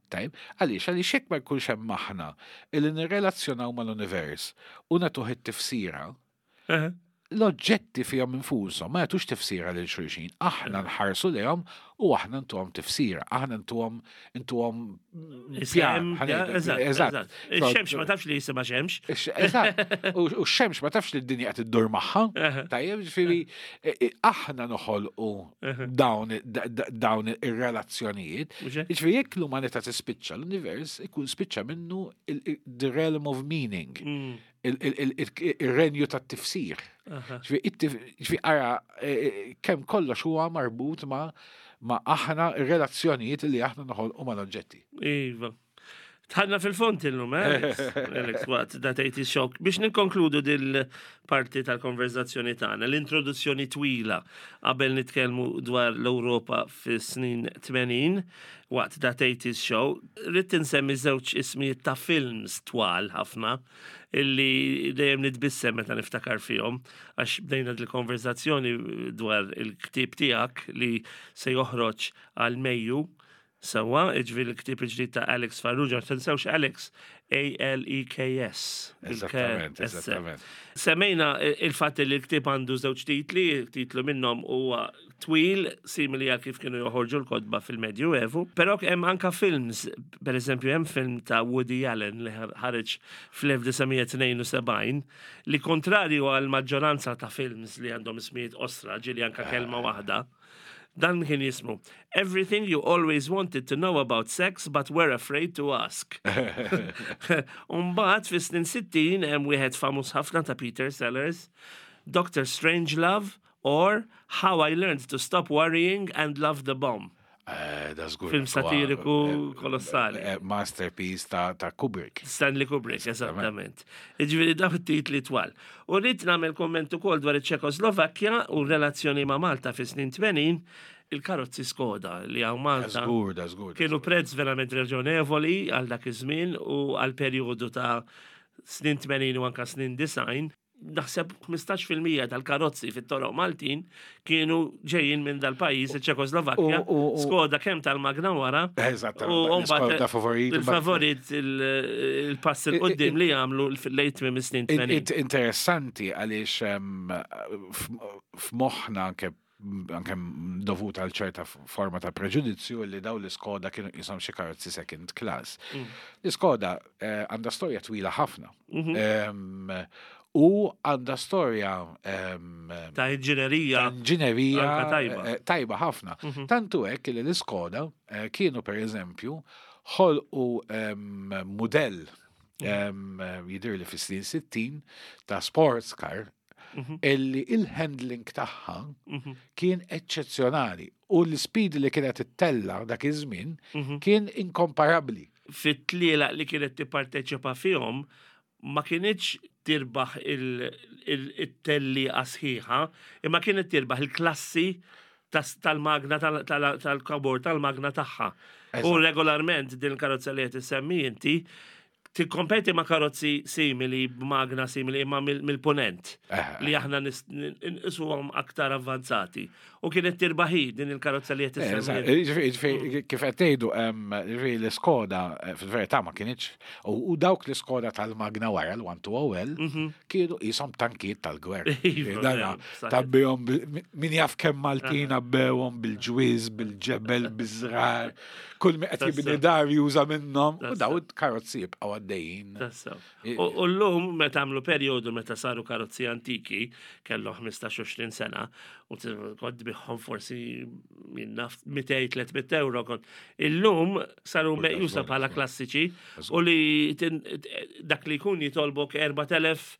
Tajb, għaliex, għaliex jekk ma jkunx hemm aħna illi nirrelazzjonaw mal-univers u nagħtuh it-tifsira, Aha. l-oġġetti fihom infushom ma jagħtux tifsira lil xulxin. Aħna nħarsu lejhom u aħna ntuhom tifsira, aħna ntuhom ntuhom Isem, pjan, ja, eżatt, eżatt. eżatt. Ix-xemx ma tafx li jisimha xemx. Eżatt. U u x-xemx ma tafx li d-dinja qed iddur magħha. Aha. Tajjeb, ġifieri e- e- aħna noħolqu dawn da- da- dawn ir-relazzjonijiet. Mhux hekk? Ġifieri jekk l-umanità tispiċċa, l-univers ikun spiċċa minnu il- il- the realm of meaning, Mm. il- il- il- il- ir-renju tat-tifsir. Aha. Ġifieri it-tif- ġifieri ara e, e, kemm kollox huwa marbut ma' ma' aħna ir-relazzjonijiet li aħna noħolqu mal-oġġetti. Iva. Dħalna fil-fond illum, eh, Alex? Alex, waqt That eighties Show. Biex nikkonkludu dil-parti tal-konverzazzjoni tagħna, l-introduzzjoni twila qabel nitkellmu dwar l-Ewropa fis-snin tmenin waqt That eighties Show, rrid insemmi żewġ ismijiet ta' films twal ħafna illi dejjem nitbissem meta niftakar fihom, għax bdejna dil-konverzazzjoni dwar il-ktieb tiegħek li se joħroġ għal Mejju. Sewwa, iġvi l-ktieb il-ġdid ta' Alex Farrugia, tinsewx Alex, A L E K S. Eżattament, eżattament. Semmejna il-fatt li l-ktieb għandu żewġ titli, titlu minnhom huwa twil, simili għal kif kienu joħorġu l-kotba fil-Medjuevu, però hemm anka films, per eżempju hemm film ta' Woody Allen li ħareġ fl-elf disa' mija tnejn u sebgħin li, kontrarju għal maġġoranza ta' films li għandhom ismijiet qosra, ġieli anka kelma waħda, dan kien jismu "Everything You Always Wanted to Know About Sex But Were Afraid to Ask". Umbagħad fis-snin sittin hemm wieħed famuż ħafna ta' Peter Sellers, Doctor Strangelove or How I Learned to Stop Worrying and Love the Bomb. Eh, da żgur. Film satiriku Eh, kolossali. eh, Masterpiece ta' ta' Kubrick. Stanley Kubrick, eżattament. Ġifieri daw titli twal. U rrid nagħmel komment ukoll dwar iċ-Ċekoslovakkja u relazzjoni ma' Malta fi snin tmenin, il-karozzi Skoda li hawn Malta. Żgur, da żgur. Kienu prezz verament raġonevoli għal dak iż-żmien u għal perjodu ta' snin tmenin u anka snin disgħin. Naħseb ħmistax fil-mija tal-karozzi fit-toroq Maltin kienu ġejjin minn dal-pajjiż, iċ-Ċekoslovakkja, U- u- u- Skoda kemm tal-magna wara. Eżattament. U mbagħad Skoda favorit. Il-favorit, il- il-pass 'il quddiem li għamlu lejt minn snin In- tmenin. int- Interessanti għaliex em, f- f'moħħna anke anke dovut għal ċerta forma ta' preġudizzju li daw l-Skoda kienu jisom xi karozzi second class. Mm. L-Skoda eh, għandha storja twila ħafna. Mhm. Em, U għandha storja em, Ta' inġinerija. ta' inġinerija Anka tajba. eh, tajba ħafna. Mhm. Tantu hekk li l-Skoda eh, kienu per eżempju ħolqu em, mudell em, jidher li fis-snin sittin ta' sports car Mhm. illi il-handling tagħha Mhm. kien eċċezzjonali u l-speed li kienet ittella dak iż-żmien Mhm. kien inkomparabbli. Fit-tlielaq li kienet tipparteċipa fihom ma kienitx tirbaħ il-tellieqa sħiħa, imma kienet tirbaħ il-klassi tas- tal-magna tal-kabor tal-magna tagħha. U Eżatt. regolarment din il-karozza li qed issemmi inti tikkompeti ma' karozzi simili b'magna simili imma mill- mill-ponent Eh, li aħna nis- nqisuhom aktar avvanzati. U kienet tirbaħi din il-karozza li qed Eh, issemmi eżatt. inti. Ġifieri- ġifieri, kif qed tgħidu, em, ġifieri l-Skoda eh, fil-verità ma kienx u u dawk l-Skoda tal-magna wara l-one two oh L kienu jisom tankiet tal-gwerra. Mhm. Iva, Dana vera, saħet. tabbihom bil- min jaf kemm Maltin abbewhom bil-ġwiż, bil-ġebel, biż-żrar, kull min qed jibni Tassew. dar juża minnhom u Tassew. daw il-karozzi jibqgħu għaddejjin. Tassew. I- U u l-lum, meta għamlu periodu meta saru karozzi antiki, kellhom ħmistax għoxrin sena, u t- kont biħom forsi minna mitejn tliet mitt euro kont. Illum saru meqjusa żgur, bħala żgur. klassiċi u li tin- dak li jkun jitolbok erbat elef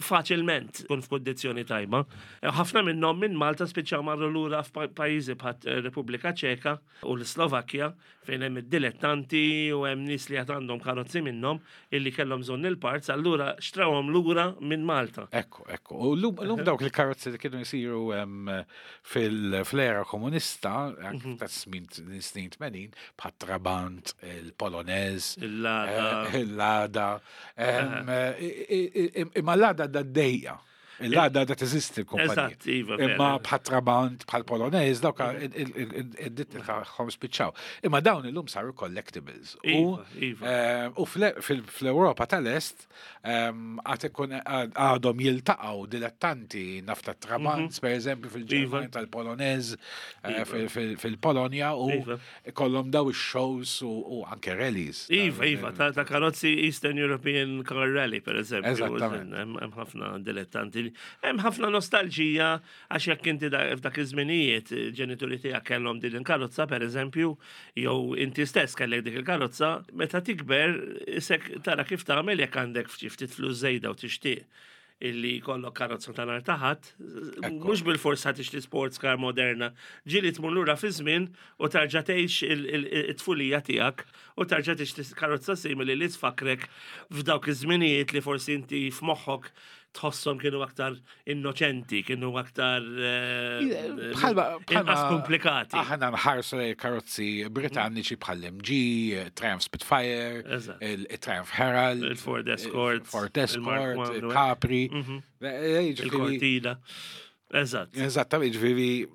faċilment kun f'kondizzjoni tajba. Ħafna minnhom minn Malta spiċċaw marru lura f'pajjiżi bħal Repubblika Ċeka u l-Slovakkja, fejn hemm id-dilettanti u hemm nies li għad għandhom karozzi minnhom illi kellhom bżonn il-parts, allura xtrawhom lura minn Malta. Ekku, ekku. U l-lum l-lum dawk il-karozzi li kienu jisiru em, fil-flera komunista, anke ta' snin snin tmenin, bħat Trabant, il-Polonez, Il-Lada. eh, il-Lada. em, eh, i- i- i- Imma l-Lada da d-dejja. Il-Lada da teżisti l-kumpanija. Eżatt, iva, Imma vera. bħat Trabant, bħal Polonez, dawk id-ditti tagħhom spiċċaw. Imma dawn illum saru collectibles. U Iva, iva. Eh, U fl- fil- fl-Europa tal-Est ehm, għad ikun għadhom jiltaqgħu dilettanti nafta Trabant, per eżempju, fil-Ġermanja Iva. tal-Polonez, eh, Iva. fil- fil- fil-Polonja u Iva. kollhom daw ix-shows u u anke rallies. Iva, iva, ta' ta' karozzi Eastern European Car Rally, per eżempju. Eżattament. Hemm hemm ħafna dilettanti. Hemm ħafna nostalġija għax jekk inti da- f'dak iż-żminijiet ġenituri tiegħek kellhom din il-karozza, per eżempju, jew inti stess kellek dik il-karozza, meta tikber isek tara kif tagħmel jekk għandek ftit ftit flus żejda u tixtieq illi kollok karozza ta' nhar ta' Ħadd, mhux bil-forsa tixtri sports car moderna. Ġieli tmur lura fi żmien u tarġa' tgħix il- il- it-tfulija tiegħek u tarġa' tixtri karozza simili li tfakrek f'dawk iż-żminijiet li forsi inti f'moħħok tħosshom kienu aktar innoċenti, kienu aktar eh, Bħalma inqas komplikati. Aħna nħarsu lejn karozzi Britanniċi bħal M G, Triumph Spitfire, Eżatt. il-Triumph Herald, Il-Ford Escort, Ford il-Mark Escort, One, il Capri. Mhm. Eh, eh, ġifieri- Il-Cortina. Eżatt. Eżattament, ġifieri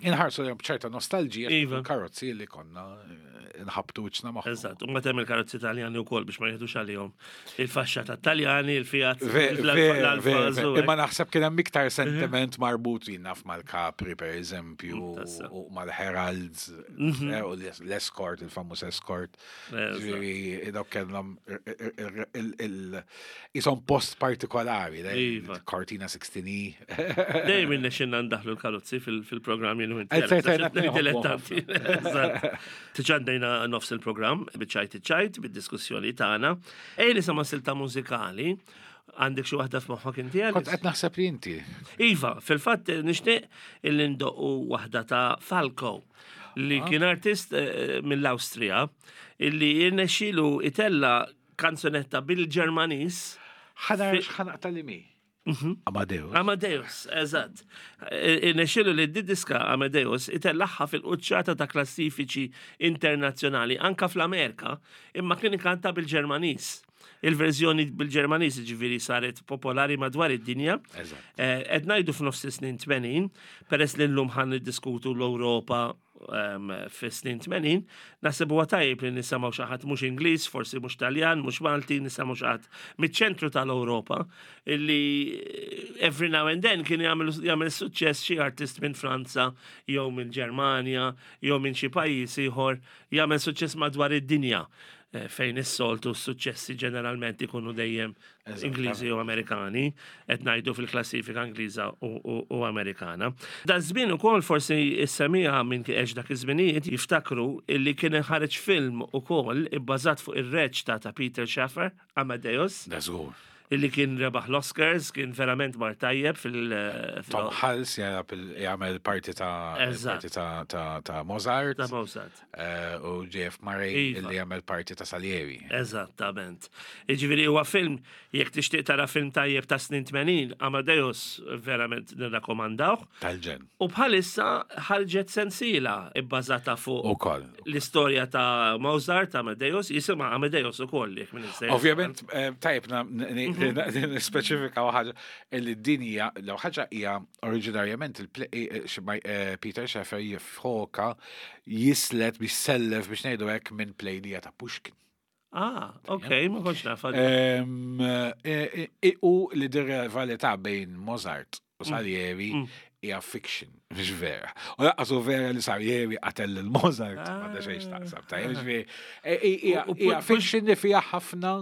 inħarsu lejhom b'ċerta nostalġija Iva. karozzi li konna eh, nħabtu wiċċna magħhom. Eżatt, u ma temmel karozzi Taljani u kol biex ma jieħdux għalihom. Il-faxxa ta' Taljani, il-Fiat, Ve- l-Alfa, Ver, ver, l-Alfa, ver. Imma naħseb kien hemm iktar sentiment marbut naf mal-Capri per eżempju Mm, tassew. u mal-Heralds eh, u l-Escort, il-famuż Escort. Eżatt. Ġifieri dawk kellhom isom post partikolari, Iva. Cortina sixteen E. Dejjem innexxinna ndaħlu l-karozzi fil- fil-programm jien u inti. Eh, certajna Dilettanti. Eżatt. Diġà għaddejna nofs il-programm, biċ-Ċajt iċ-Ċajt, bid-diskussjoni tagħna. Ejja nisimgħu silta mużikali Għandek xi waħda f'moħħok inti Kont Alice? qed naħseb li inti. Iva, fil-fatt nixtieq illi ndoqqu waħda ta' Falco li kien artist eh, mill-Awstrija illi jirnexxielu itella kanzunetta bil-Ġermaniż. Ħa nara x'ħa naqta' li mi. Amadeus. Amadeus, eżatt. Irnexxielu li d-diska Amadeus itellaħħa fil-quċċata ta' klassifiċi internazzjonali anka fl-Amerika, imma kien ikanta bil-Ġermaniż. Il-verżjoni bil-Ġermaniż ġifieri saret popolari madwar id-dinja. Eżatt. Eh, Qed ngħidu f'nofs is-snin tmenin, peress li llum ħan niddiskutu l-Ewropa um, fis-snin tmenin, naħseb huwa tajjeb li nisimgħu xi ħadd mhux Ingliż, forsi mhux Taljan, mhux Malti, nisimgħu xi ħadd miċ-ċentru tal-Ewropa illi every now and then kien jagħmel jagħmel suċċess xi artist minn Franza jew minn Ġermanja jew minn xi pajjiż ieħor jagħmel suċċess madwar id-dinja eh, fejn is-soltu s-suċċessi ġeneralment ikunu dejjem Ingliżi u Amerikani, qed ngħidu fil-klassifika Ingliża u, u, u Amerikana. Da żmien ukoll forsi is-semija minn għex dak iż-żminijiet jiftakru illi kien ħareġ film ukoll ibbażat fuq ir-reċta ta' Peter Shaffer, Amadeus, Da żgur. illi kien rebaħ l-Oscars, kien verament mar tajjeb fil- fil- Tom Hulce jagħmel jagħmel parti ta' Eżatt. parti ta' ta' ta' Mozart ta' Mozart. eh, u J F. Murray Iva. illi jagħmel parti ta' Salieri. Eżattament. Iġifieri huwa film, jekk tixtieq tara film tajjeb ta' snin tmenin, Amadeus verament nirrakkomandawh. Tal-ġenn. U bħalissa ħarġet sensiela ibbażata fuq Ukoll. l-istorja ta' Mozart, Amadeus, jisimha Amadeus ukoll jekk minn sejjer. Ovvjament, eh, tajjeb na- n- n- nispeċifika ħaġa illi din hija, l ħaġa hija oriġinarjament il- eh, xi- eh, Peter Shaffer jiffoka jislet biex sellef biex ngħidu hekk minn play li hija ta' Pushkin. Ah, ok, ma kontx naf. Em, eh, eh, U li dir-rivalità bejn Mozart u Salieri hija fiction, mhux vera. U lanqas hu vera li Salieri qatel lil Mozart, ma da xejn taqsam. Tajjeb, ġifieri, eh, hija U- u hija Push- fiction li fiha ħafna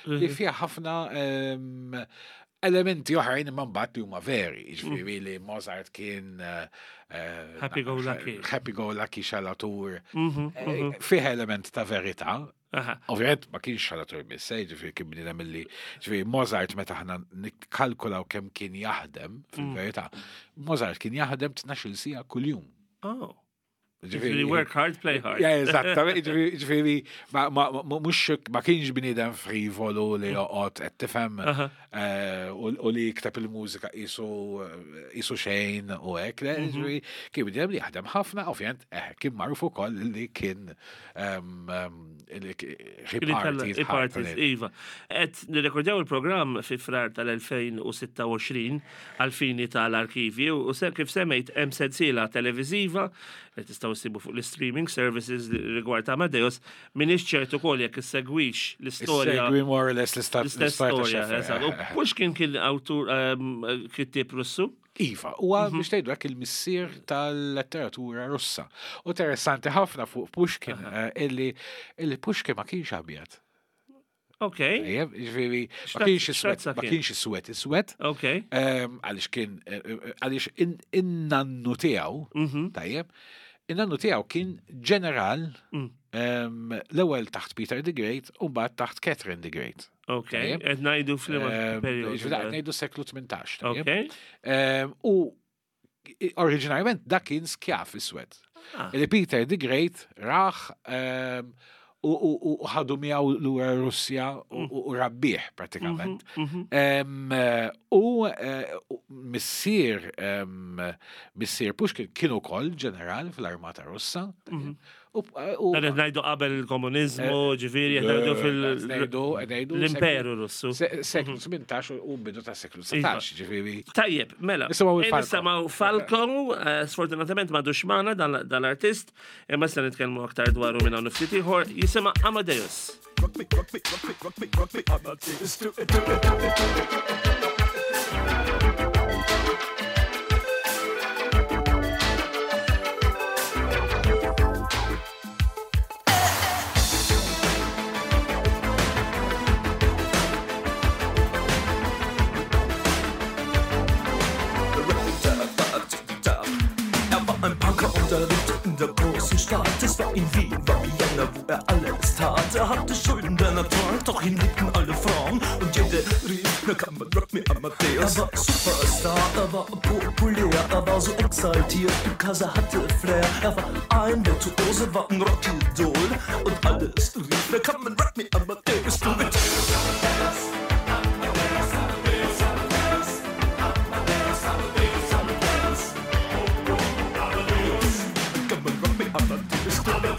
li fiha ħafna em, elementi oħrajn imma mbagħad li huma veri, ġifieri li Mozart kien eh, eh, Happy go lucky. Happy go lucky xalatur. Mhm, Eh, Fih element ta' verità. Aha. Ovvijament ma kienx xalatur biss, eh, ġifieri kien bniedem illi, ġifieri Mozart meta ħna nikkalkulaw kemm kien jaħdem, fil-verità, Mozart kien jaħdem tnax-il siegħa kuljum. Oh. Ġifieri work hard, play hard. Ja, eżattament, ġifieri, ġifieri, ma, ma, ma, mhux ma kienx bniedem frivolu li joqgħod qed tifhem Aha. eh, u u li jikteb il-mużika qisu qisu xejn u hekk, le, ġifieri, kien bniedem li jaħdem ħafna, ovvjament, eh, kien magħruf ukoll li kien em, em, li k- he partied I-parties, ħafna. iva. Qed nirrekordjaw il-programm fi Frar tal-elfejn u sitta u għoxrin għal-fini tal-arkivi u se kif semmejt hemm sensiela televiżiva li tistgħu ssibu fuq l-streaming services rigward Amadeus. M'iniex ċert ukoll jekk issegwix l-istorja. Segwi more or less l-istat L-istess storja, eżatt. U Pushkin kien awtur ehm, kittieb Russu. Iva, huwa biex tgħidu hekk il-missier tal-letteratura Russa. U interessanti ħafna fuq Pushkin eh, illi illi Pushkin ma kienx abjad. Ok, Ejjeb, ġifieri, ma X'razza- kienx iswed, x'razza ma kien? kienx iswed iswed. ok. Ehm, Għaliex kien, eh, eh, għaliex in- in-nannu tiegħu, Mhm. tajjeb, in-nannu tiegħu kien ġeneral Mm. ehm, l-ewwel taħt Peter the Great u mbagħad taħt Catherine the Great. Ok, Tajjeb. qed ngħidu f'liema Ehm, perjodu. Ġifieri qed ngħidu seklu tmintax. Tajjeb? Ok. Ehm, U i- oriġinarjament dak kien skjaf iswed. Ah. Li Peter the Great raħ ehm, u- u u ħadu miegħu lura Russja u u- u rabbih pratikament. Mhm. Em, eh, U eh, u missier em, missier Pushkin kien ukoll ġeneral fl-Armata Russa. U u- Dan qed ngħidu qabel il-komuniżmu, ġifieri qed ngħidu fil- ngħidu ngħidu l-Imperu Russu. se- Seklu tmintax u bidu ta' seklu dsatax, ġifieri. Tajjeb, mela. Nisimgħu Eh, il-Falco. Nisimgħu Falco, eh, sfortunatament m'għadux magħna dan dan l-artist, imma se nitkellmu aktar dwaru minn hawn ftit ieħor, jisimha Amadeus. Rugby, rugby, rugby, rugby, rugby, Amadeus. Do it, do it, do it, do it. War ein Punker und er lebte in der großen Stadt. Es war in Wien, war Vienna, wo er alles tat. Er hatte Schulden der Natur, doch ihn liebten alle Frauen. Und jede rief, na come on, rock me Amadeus. Er war Superstar, er war populär, er war so exaltiert, because er hatte Flair. Er war ein Virtuose, war ein Rockidol. Und alles rief, na come on, rock me Amadeus, do it. Come on, rock me Amadeus, do it.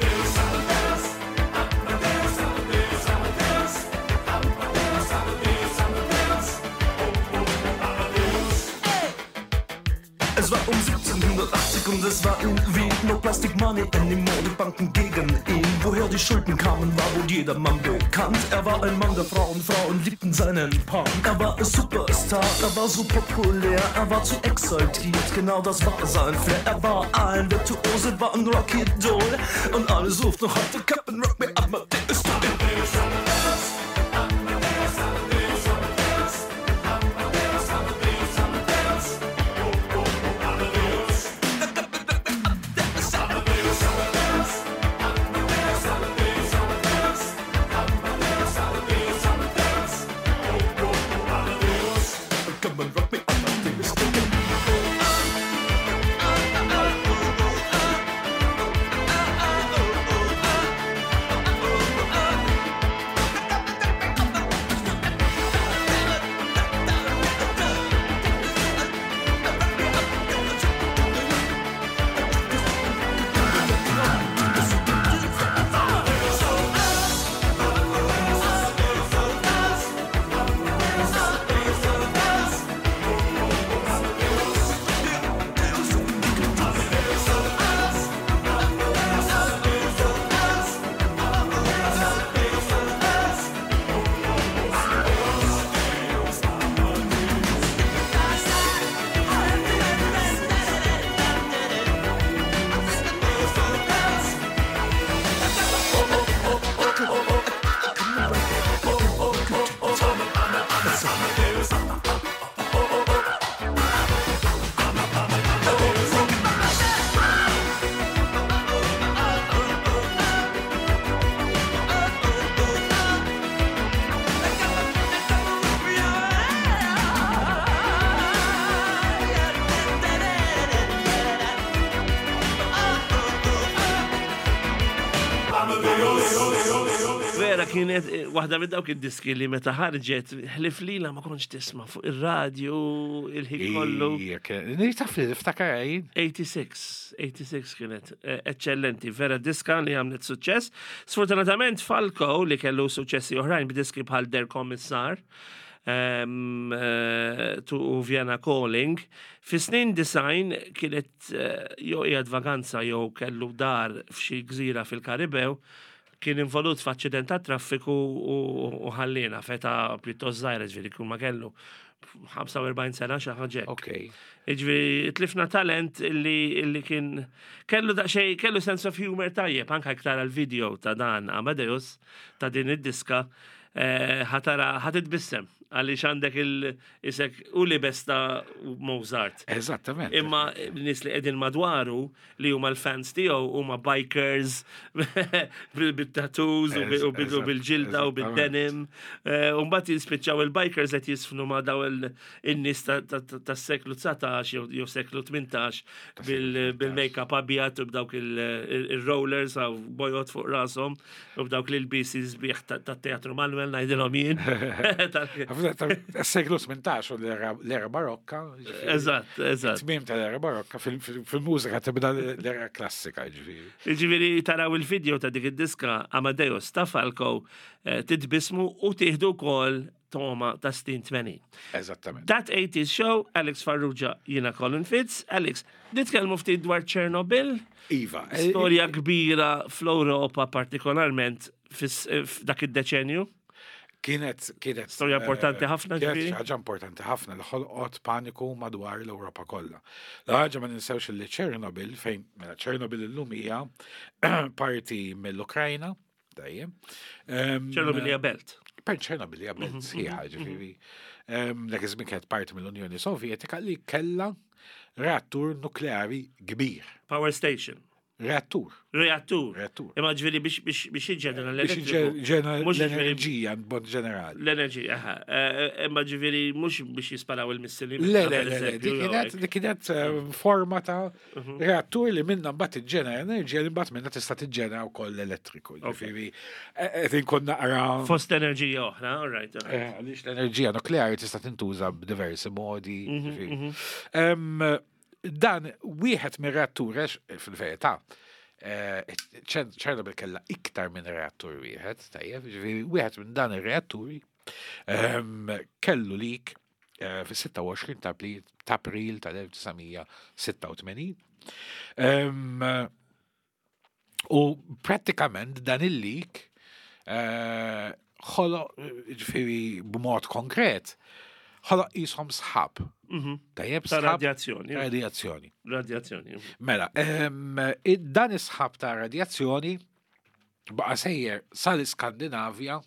Es war um siebzehnhundertachtzig und es war in Wien. No plastic money anymore, die Banken gegen ihn. Woher die Schulden kamen, war wohl jedermann bekannt. Er war ein Mann der Frauen, Frauen liebten seinen Punk. Er war ein Superstar, er war so populär, er war zu exaltiert, genau das war sein Flair. Er war ein Virtuose, war ein Rockidol und alles ruft noch heute, come and rock me Amadeus, do it. Come and rock me Amadeus, do it. Vera kienet eh, waħda minn dawk id-diski li meta ħarġet ħlif lila ma kontx tisma' fuq ir-radju il-ħin kollu. Ija, kien- Taf li niftakar jien. eighty-six, eighty-six kienet eh, eccellenti, vera diska li għamlet suċċess. Sfortunatament Falco li kellu suċċessi oħrajn b'diski bħal Der Kommissar um, uh, to Vienna Calling, fi snin disgħin kienet uh, jew qiegħed vaganza jew kellu dar f'xi gżira fil-Karibew, kien involut f'aċċident ta' traffiku u u ħallina f'età pjuttost żgħira, ġifieri kull ma kellu ħamsa u erbgħin sena xi ħaġa hekk. Ok. Ġifieri tlifna talent illi, illi kien kellu daqsxejn, kellu sense of humor tajjeb, anka iktar għal-video ta' dan Amadeus, ta' din id-diska, eh, ħa tara ħa titbissem għaliex għandek il-isek u li besta Mozart. Eżattament. Imma nies li qegħdin madwaru li huma l-fans tiegħu huma bikers bil-tattoos u bil- u bil- u bil-ġilda u bil-denim. Eh, U mbagħad jispiċċaw il-bikers qed jisfnu ma' daw il-nies tas-seklu dsatax jew jew seklu tmintax bil- bil-make-up abjad u b'dawk il-rollers għaw bojot fuq rashom u b'dawk l-ilbisi sbieħ tat-teatru Manuel ngħidilhom jien. Tal- Seklu tmintax u l-era l-era barokka. Ġifieri. Eżatt, eżatt. Tmiem tal-era barokka fil- fil- fil-mużika tibda l-era klassika, ġifieri. Ġifieri taraw il-video ta' dik id-diska Amadeus ta' Falco, eh, titbismu u tieħdu wkoll toma ta' snin tmenin. Eżattament. That eighties Show, Alex Farrugia, jiena Colin Fitz. Alex, nitkellmu ftit dwar Chernobyl, Iva. storja kbira fl-Europa partikolarment fis- eh, f'dak id-deċenju. Kienet, kienet. Storja importanti eh, ħafna, Kienet ġifieri? xi ħaġa importanti ħafna li ħolqot paniku madwar l-Ewropa kollha. L-ħaġa ma ninsewx li Chernobyl, fejn mela Chernobyl illum hija parti mill-Ukrajna, dejjem. Em, Chernobyl hija belt. Per Ċernobil hija belt sħiħa, ġifieri. Em, Dak iż-żmien kienet parti mill-Unjoni Sovjetika li kellha reattur nukleari kbir. Power station. Reattur. Reattur. Reattur. Imma ġifieri biex biex biex jiġġenera Biex l-elettriku. jiġġenera Mhux ġifieri l-enerġija b'mod ġenerali. L-enerġija, aha. Eh, eh, Imma ġifieri mhux biex jisparaw il-missili. Le, le, le, le, dik kienet, dik kienet eh, forma ta' reattur li minna mbagħad tiġġenera enerġija li mbagħad minna tista' tiġġenera wkoll l-elettriku. Ġifieri eh, qed inkun naqra Fost enerġija oħra, all right, all right. Eh, Għaliex l-enerġija nukleari tista' tintuża b'diversi modi. Ġifieri. Em, Dan wieħed mir-reattur għax fil-verità eh, Ċer- Ċernobil kellha iktar minn reattur wieħed, tajjeb, ġifieri wieħed minn dan ir-reatturi em, kellu leak eh, fis-sitta u għoxrin ta' April- ta' April tal-elf disa' mija sitta u tmenin. Em, U prattikament dan il-leak eh, ħoloq, ġifieri b'mod konkret, ħoloq jisimhom sħab. Tajjeb, Ta' sħab radjazzjoni. Radjazzjoni. Radjazzjoni. Mela, em, id- dan is-sħab ta' radjazzjoni baqa' sejjer sal-Iskandinavja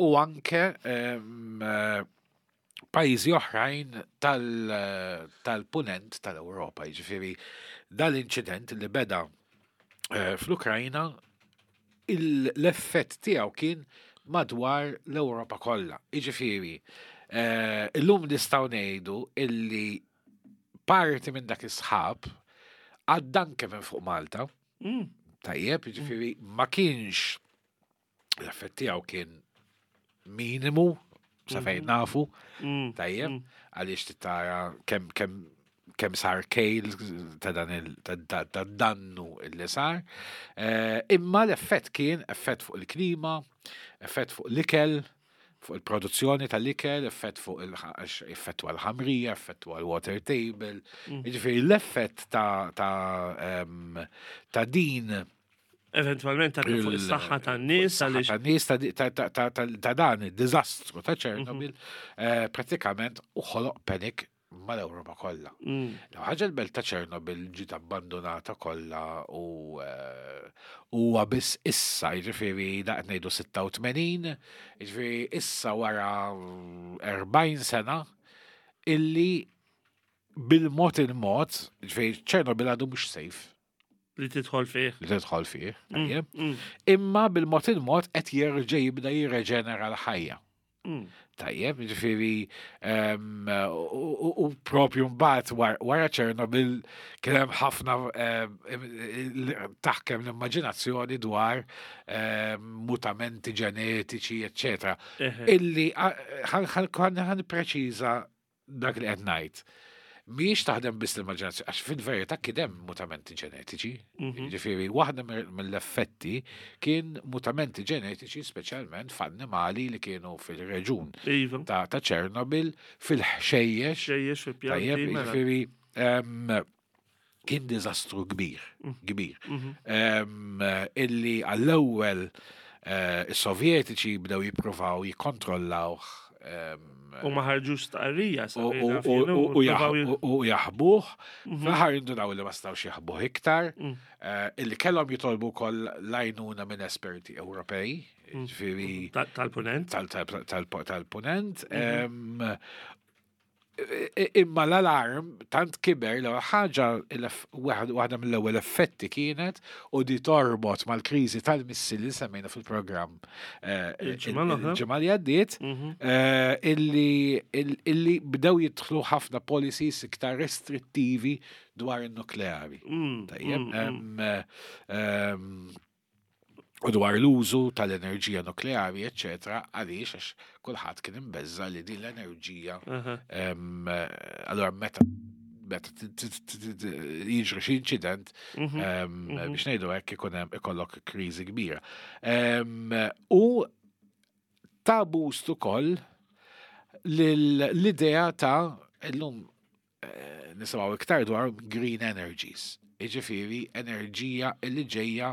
u anke em, eh, pajjiżi oħrajn tal- tal-punent tal-Ewropa. Jiġifieri dal-inċident li beda eh, fl-Ukrajna, il- l-effett tiegħu kien madwar l-Ewropa kollha. Jiġifieri, eh, illum nistgħu ngħidu illi parti minn dak is-sħab għadda anke minn fuq Malta. Mm. Tajjeb, jiġifieri ma kienx l-effett tiegħu kien minimu sa fejn nafu, Mm. tajjeb, għaliex tara kemm kemm kemm sar kejl ta' dan il ta' ta- ta' dannu illi sar. Eh, imma l-effett kien effett fuq il-klima, effett fuq l-ikel, fuq il-produzzjoni tal-ikel, effett fuq il effett għal-ħamrija, effett għal-water table. Jiġifieri l-effett ta' ta' em, ta' din Eventualment ta' fuq il- is-saħħa tan-nies għaliex ta' nies ta' ta' ta' ta' ta' ta' dan id-diżastru ta' Chernobyl eh, pratikament u ħoloq panic mal-Ewropa kollha. Mm. L ħaġa l-belt ta' Chernobyl ġiet abbandonata kollha u eh, huwa biss issa, jiġifieri daqt ngħidu sitta u tmenin, jiġifieri issa wara erbgħin sena illi bil-mod il-mod, jiġifieri Chernobyl għadu mhux safe li tidħol fih. li tidħol fih, tajjeb. Mm. Imma bil-mod il-mod qed jerġa' jibda jirreġenera l-ħajja. Mm. Tajjeb, ġifieri, em, u u- u propju mbagħad war- wara Chernobyl kien hemm ħafna em, il- taħkem l-immaġinazzjoni dwar em, mutamenti ġenetiċi, eccetera. Eħe. Illi ħan preċiża dak li qed ngħid. Mhijiex taħdem biss l-immaġinazzjoni, għax fil-verità kien hemm mutamenti ġenetiċi. Ġifieri, waħda mir- mill-effetti kien mutamenti ġenetiċi speċjalment f'annimali li kienu fil-reġun Iva. ta' ta' Chernobyl, fil-ħxejjex. Xejjex fil-pjanti. Tajjeb, mela. ġifieri, em, kien diżastru kbir, kbir. Em, Illi għall-ewwel eh, is-Sovjetiċi bdew jippruvaw jikkontrollawh em, U ma ħarġux stqarrija. sa u- fejn u- naf u- jien, u- u provaw jaħ- u- u jaħbuh. Fl-aħħar indunaw li ma stawx jaħbuh iktar, eh, illi kellhom jitolbu wkoll l-għajnuna minn esperti Ewropej, ġifieri ta- Tal-punent. tal- tal- tal- tal-punent. Em, i- i- Imma l-alarm tant kiber l ħaġa il-eff- waħda waħda mill-ewwel effetti kienet u di torbot mal-kriżi tal-missili li semmejna fil-programm eh, Il-ġimgħa l-oħra. il-ġimgħa li għaddiet, eh, illi il- illi bdew jidħlu ħafna policies iktar restrittivi dwar in-nukleari. Mm, Tajjeb, mm, em, eh, em, u dwar l-użu tal-enerġija nukleari, eccetera, għaliex għax kulħadd kien imbeżza li din l-enerġija Aha. em, eh, allora meta meta t- t- t- t- jiġri xi inċident, em, biex ngħidu hekk ikun hemm ikollok kriżi kbira. Em, U ta' boost ukoll l-idea ta' illum eh, nisimgħu iktar dwar green energies. Jiġifieri enerġija illi ġejja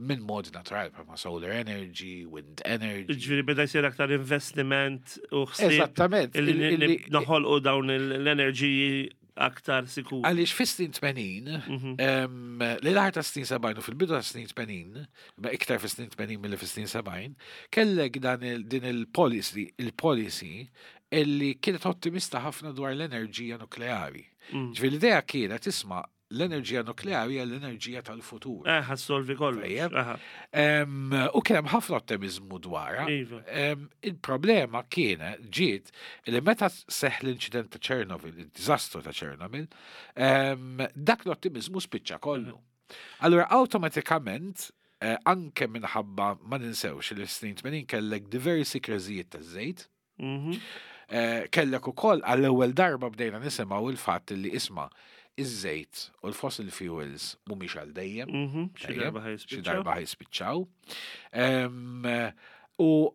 minn mod naturali, bħalma solar energy, wind energy. Ġifieri beda jsir aktar investiment u ħsieb Eżattament. illi il- ni- illi- noħolqu dawn il- l-enerġiji aktar sikur. Għaliex fis-snin tmenin, Mhm. em, li l-aħħar ta' snin sebgħin u fil-bidu ta' snin tmenin, ma iktar fis-snin tmenin milli fis-snin sebgħin, kellek dan il, din il-policy, il-policy illi kienet ottimista ħafna dwar l-enerġija nukleari. Mm. Ġifieri l-idea kienet isma' l-enerġija nukleari hija l-enerġija tal-futur. Eh, ħa ssolvi kollox. Tajjeb. Aha. Em, U kien hemm ħafna ottimizmu dwarha. Iva. Em, Il-problema kienet ġiet li meta seħ l-inċident ta' Chernobyl, il-diżastru ta' Chernobyl, em, dak l-ottimizmu spiċċa kollu. Allura awtomatikament eh, anke minħabba ma ninsewx li snin tmenin kellek diversi kriżijiet ta' żejt, Mhm. eh, kellek ukoll għall-ewwel darba bdejna nisimgħu il-fatt li isma' iż-żejt u l-fossil fuels mhumiex għal dejjem. Mhm. Xi Tajjeb, darba xi ħa jispiċċaw. darba ħa jispiċċaw. Em, U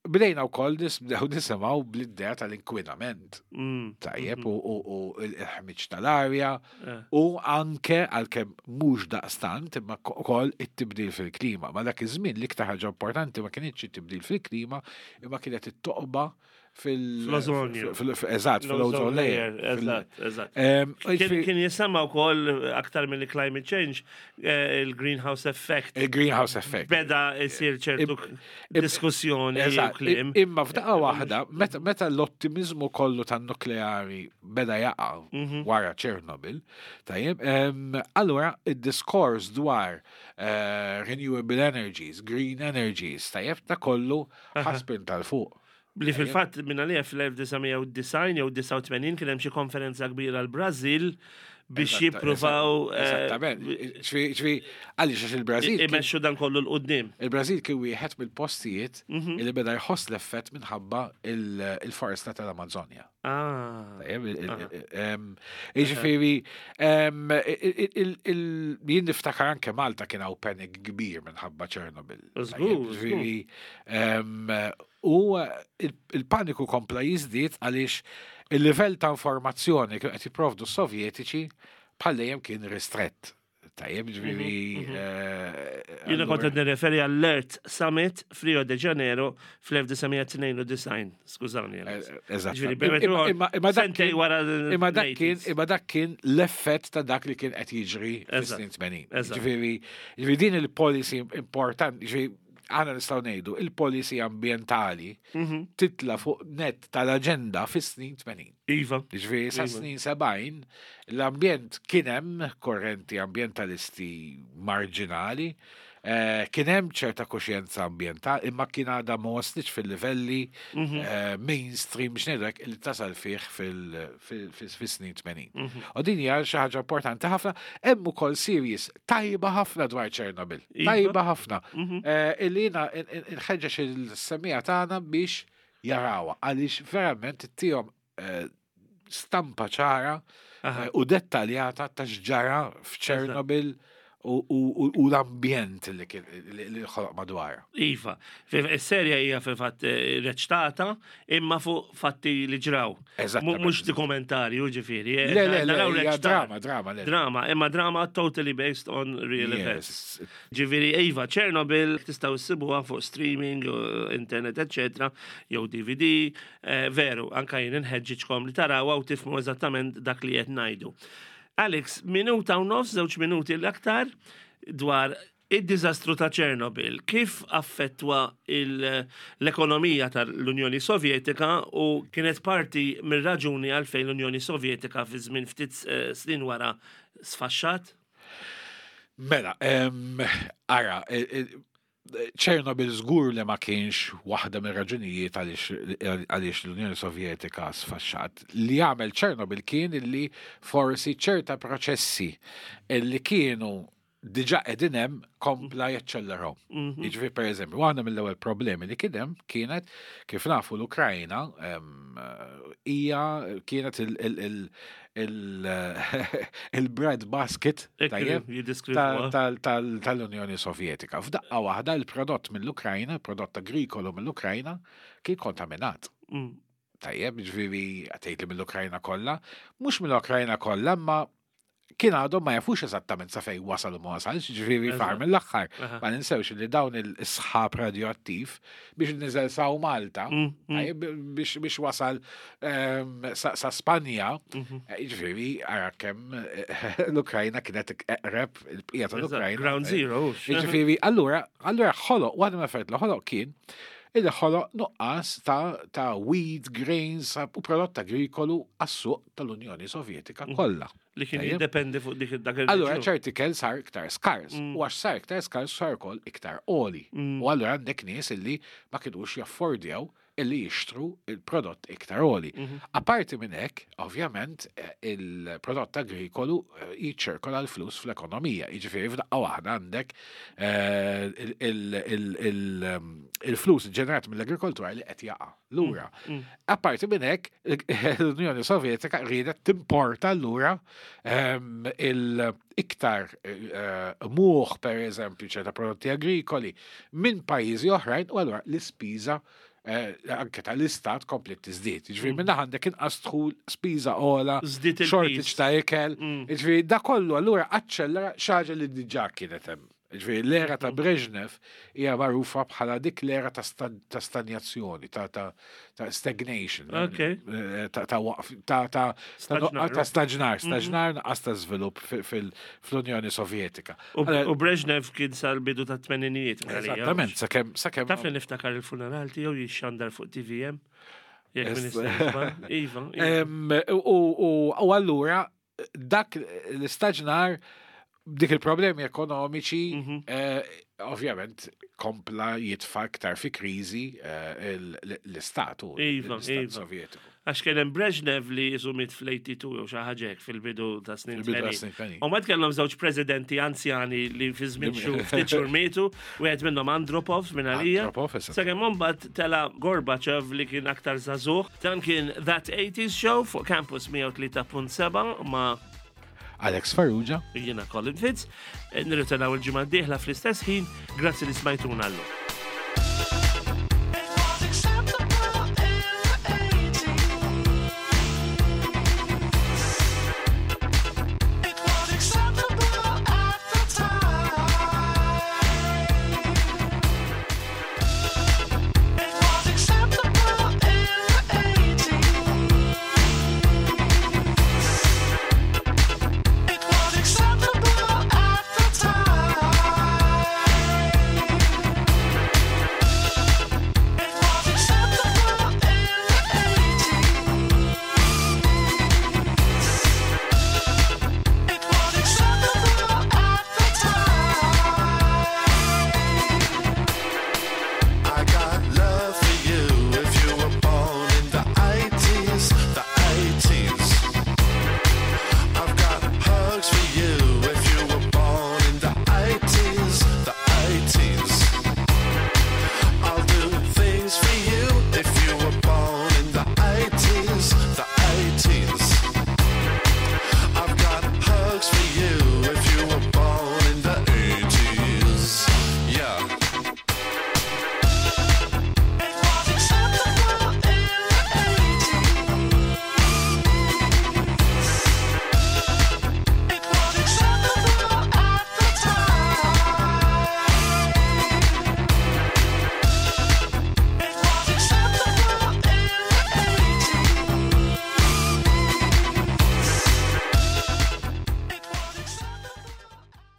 bdejna wkoll bdew nisimgħu bl-idea tal-inkwinament. Mm. Tajjeb, u u- u il-ħmiġ tal-arja, Eh. u anke għalkemm mhux daqstant imma ukoll it-tibdil fil-klima. Ma dak iż-żmien l-iktar ħaġa importanti ma kienx it-tibdil fil-klima, imma kienet it-toqba fil- Fl-ozonju. fil- fil- Eżatt, fil-ozone layer. Fil- Eżatt, eżatt. Em, Kien ġifieri- kien jisemma wkoll aktar mill climate change eh, il-greenhouse effect Il-greenhouse effect. beda jsir ċertu Im- diskussjoni u Eżatt, kliem. imma f'daqqa waħda, meta, meta l-ottimizmu kollu tan-nukleari beda jaqa' Mhm. wara Chernobyl, tajjeb, em, allura id-diskors dwar eh, renewable energies, green energies, tajjeb, ta' kollu ħa spinta 'l fuq. Li fil-fatt minna li fl-elf disa' mija u disgħin jew disgħa u tmenin kien hemm xi konferenza kbira l-Brażil biex Eżatta- jippruvaw eh, Eżattament. Ġifieri, ġifieri, għaliex għax il-Brażil kien- imexxu dan kollu 'l quddiem. Il-Brażil kien wieħed mill-postijiet Mhm. li beda jħoss l-effett minħabba il- il-foresta tal-Amazonja. Ah. Tajjeb, il- il- em, Jiġifieri, em, il- il- il- jien niftakar anke Malta kien hawn panic kbir minħabba Chernobyl. Żgur, Tajjeb, Jiġifieri, em, u il- il-paniku kompla jiżdied għaliex il-livell ta' informazzjoni kienu qed jipprovdu s-Sovjetiċi bħal dejjem kien ristrett. Tajjeb, ġifieri. eh, Jiena kont allura- qed nirreferi għall-Earth Summit f'Rio de Janeiro fl-elf disa' mija tnejn u disgħin. Skużawni. Alex. Eh, Eżatt. Ġifieri, Imma- imma- imma dak sentej kien- wara Imma dak kien, l-eighties. imma dak kien l-effett ta' dak li kien qed jiġri Eżatt. fis-snin tmenin. Eżatt. Ġifieri, ġifieri din il-policy importanti, ġifieri aħna nistgħu ngħidu il-policy ambjentali Mhm. titla fuq net tal-aġenda fis-snin tmenin. Iva. Ġifieri sa Iva. snin sebgħin l-ambjent kien hemm korrenti ambjentalisti marġinali, eh, kien hemm ċerta kuxjenza ambjentali, imma kien għadha ma waslitx fil-livelli Mhm. eh, mainstream biex ngħidlek li tasal fih fil- fil- fil- fis-snin tmenin. Mhm. U din hija xi ħaġa importanti ħafna, hemm ukoll series tajba ħafna dwar Chernobyl. Iva. Tajba ħafna. Mhm. Eh, Illi jiena nħeġġeġ il-semmiegħa tagħna biex jarawha għaliex verament ittihom eh, stampa ċara Aha. eh, u dettaljata ta' x'ġara f'Chernobyl u, u, u, u l-ambjent li kien li li ħoloq madwar. Iva, Is-serja hija fil-fatt eh, reċtata imma fuq fatti li ġraw. Eżattament. Mhux dokumentarju ġifieri. eh, Le, le, le, naraw hija reċtar. drama, drama, le. Drama, imma drama totally based on real events. Yes. Ġifieri, Iva, Chernobyl, tistgħu ssibuha fuq streaming, u internet, eccetera, jew D V D, eh, veru, anka jien inħeġġiġkom li tarawha u tifhmu eżattament dak li qed ngħidu. Alex, minuta u nofs, żewġ minuti l-aktar, dwar id-diżastru ta' Chernobyl, kif affettwa il- l-ekonomija tal-Unjoni Sovjetika u kienet parti mir-raġuni għalfejn l-Unjoni Sovjetika fi żmien ftit eh, snin wara sfaxxat? Mela, em, ara, e- e- Chernobyl żgur li ma kienx waħda mir raġunijiet għaliex għaliex l-Unjoni Sovjetika sfaxxat. Li għamel Chernobyl kien illi forsi ċerta proċessi illi kienu diġa qegħdin hemm kompla jaċċelleraw. Mhm. Jiġifieri per eżempju, waħda mill-ewwel problemi li kien hemm kienet kif nafu l-Ukrajna em, hija kienet il- il- il- il- il-bread basket tajjeb, Jiddeskrivuha. tal- tal- tal-Unjoni Sovjetika. F'daqqa waħda il-prodott mill-Ukrajna, il-prodott agrikolu mill-Ukrajna, kien kontaminat. Mm. Tajjeb, ġifieri għatejt li mill-Ukrajna kollha, mhux mill-Ukrajna kollha, ma Kien għadhom ma jafux eżattament sa fejn wasal u ma wasalx, ġifieri far Eżatt. mill-aħħar. Aha. Ma ninsewx li dawn il-sħab radioattiv biex niżel sa Malta, Mm, mm. tajjeb, biex biex wasal ehm, sa sa Spanja, Mhm. eh, ġifieri ara kemm eh, l-Ukrajna kienet eqreb il-bqija tal-Ukrajna. Ground zero. hux. Ġifieri, allura, allura ħoloq, waħda mill-affarijiet li ħoloq kien illi ħoloq nuqqas ta' ta' wheat, grains u prodott agrikolu għas-suq tal-Unjoni Sovjetika kollha. Li kien Tajjeb. jiddependi fuq dik dak il Allura ċerti ikel sar iktar skars, Mm. u għax sar iktar skars sar ukoll iktar għoli. Mm. U allura għandek nies illi ma kinux jaffordjaw illi jixtru il-prodott iktar għoli. Mhm. Apparti minn hekk, ovvjament, eh, il-prodott agrikolu eh, jiċċirkola l-flus fl-ekonomija. Jiġifieri f'daqqa waħda għandek eh, il- il- il- il- ehm, il-flus ġenerat mill-agrikoltura li qed jaqa' lura. Mm. Apparti minn hekk, l-Unjoni Sovjetika riedet timporta lura ehm, il-iktar eh, muħ, per eżempju, ċerta prodotti agrikoli minn pajjiżi oħrajn u allura l-ispiża eh, anke tal-istat komplet tiżdied. Jiġifieri minn għandek inqas dħul, spiża ogħla, Żdied il-piż. shortage ta' ikel. Mm. Jiġifieri da kollu allura aċċellera xi ħaġa li diġà kienet hemm. Jiġifieri l-era ta' Brezhnev hija magħrufa bħala dik l-era ta' sta- ta' stanjazzjoni, ta' ta' ta' stagnation. Ok. Eh, Ta' ta' waqf, ta' ta' ta' Staġnar. ta' staġnar, staġnar nuqqas ta' żvilupp fi- fil- fl-Unjoni Sovjetika. U Allora, u Brezhnev kien sal-bidu ta' tmeninijiet. Eżattament, sakemm sakemm Taf li niftakar il-funeral tiegħu jixxandar fuq T V M? Jekk Est- min istaġbar. Iva. Iva. Em, U u- u allura dak l-istaġnar dik il-problemi ekonomiċi Mhm. eh, ovvjament kompla jitfa iktar fi kriżi eh, il- l-istatu, Iva, l-istat iva. Sovjetiku. Għax kien hemm Brezhnev li jisu miet fl-tmeningen jew xi ħaġa hekk fil-bidu ta' snin Fil-bidu ta' tmenin. snin tmenin. U ma kellhom żewġ presidenti anzjani li fi żmien xhur ftit xhur mietu, wieħed minnhom Andropov minn għalija. Andropov, eżatt. Sakemm imbagħad tela Gorbachev li kien aktar żagħżugħ. Dan kien That eighties Show fuq Campus mija u tlieta punt sebgħa ma' Alex Farrugia. Jiena Colin Fitz. Nirritenaw il-ġimgħa d-dieħla fl-istess ħin. Grazzi li smajtuna llum.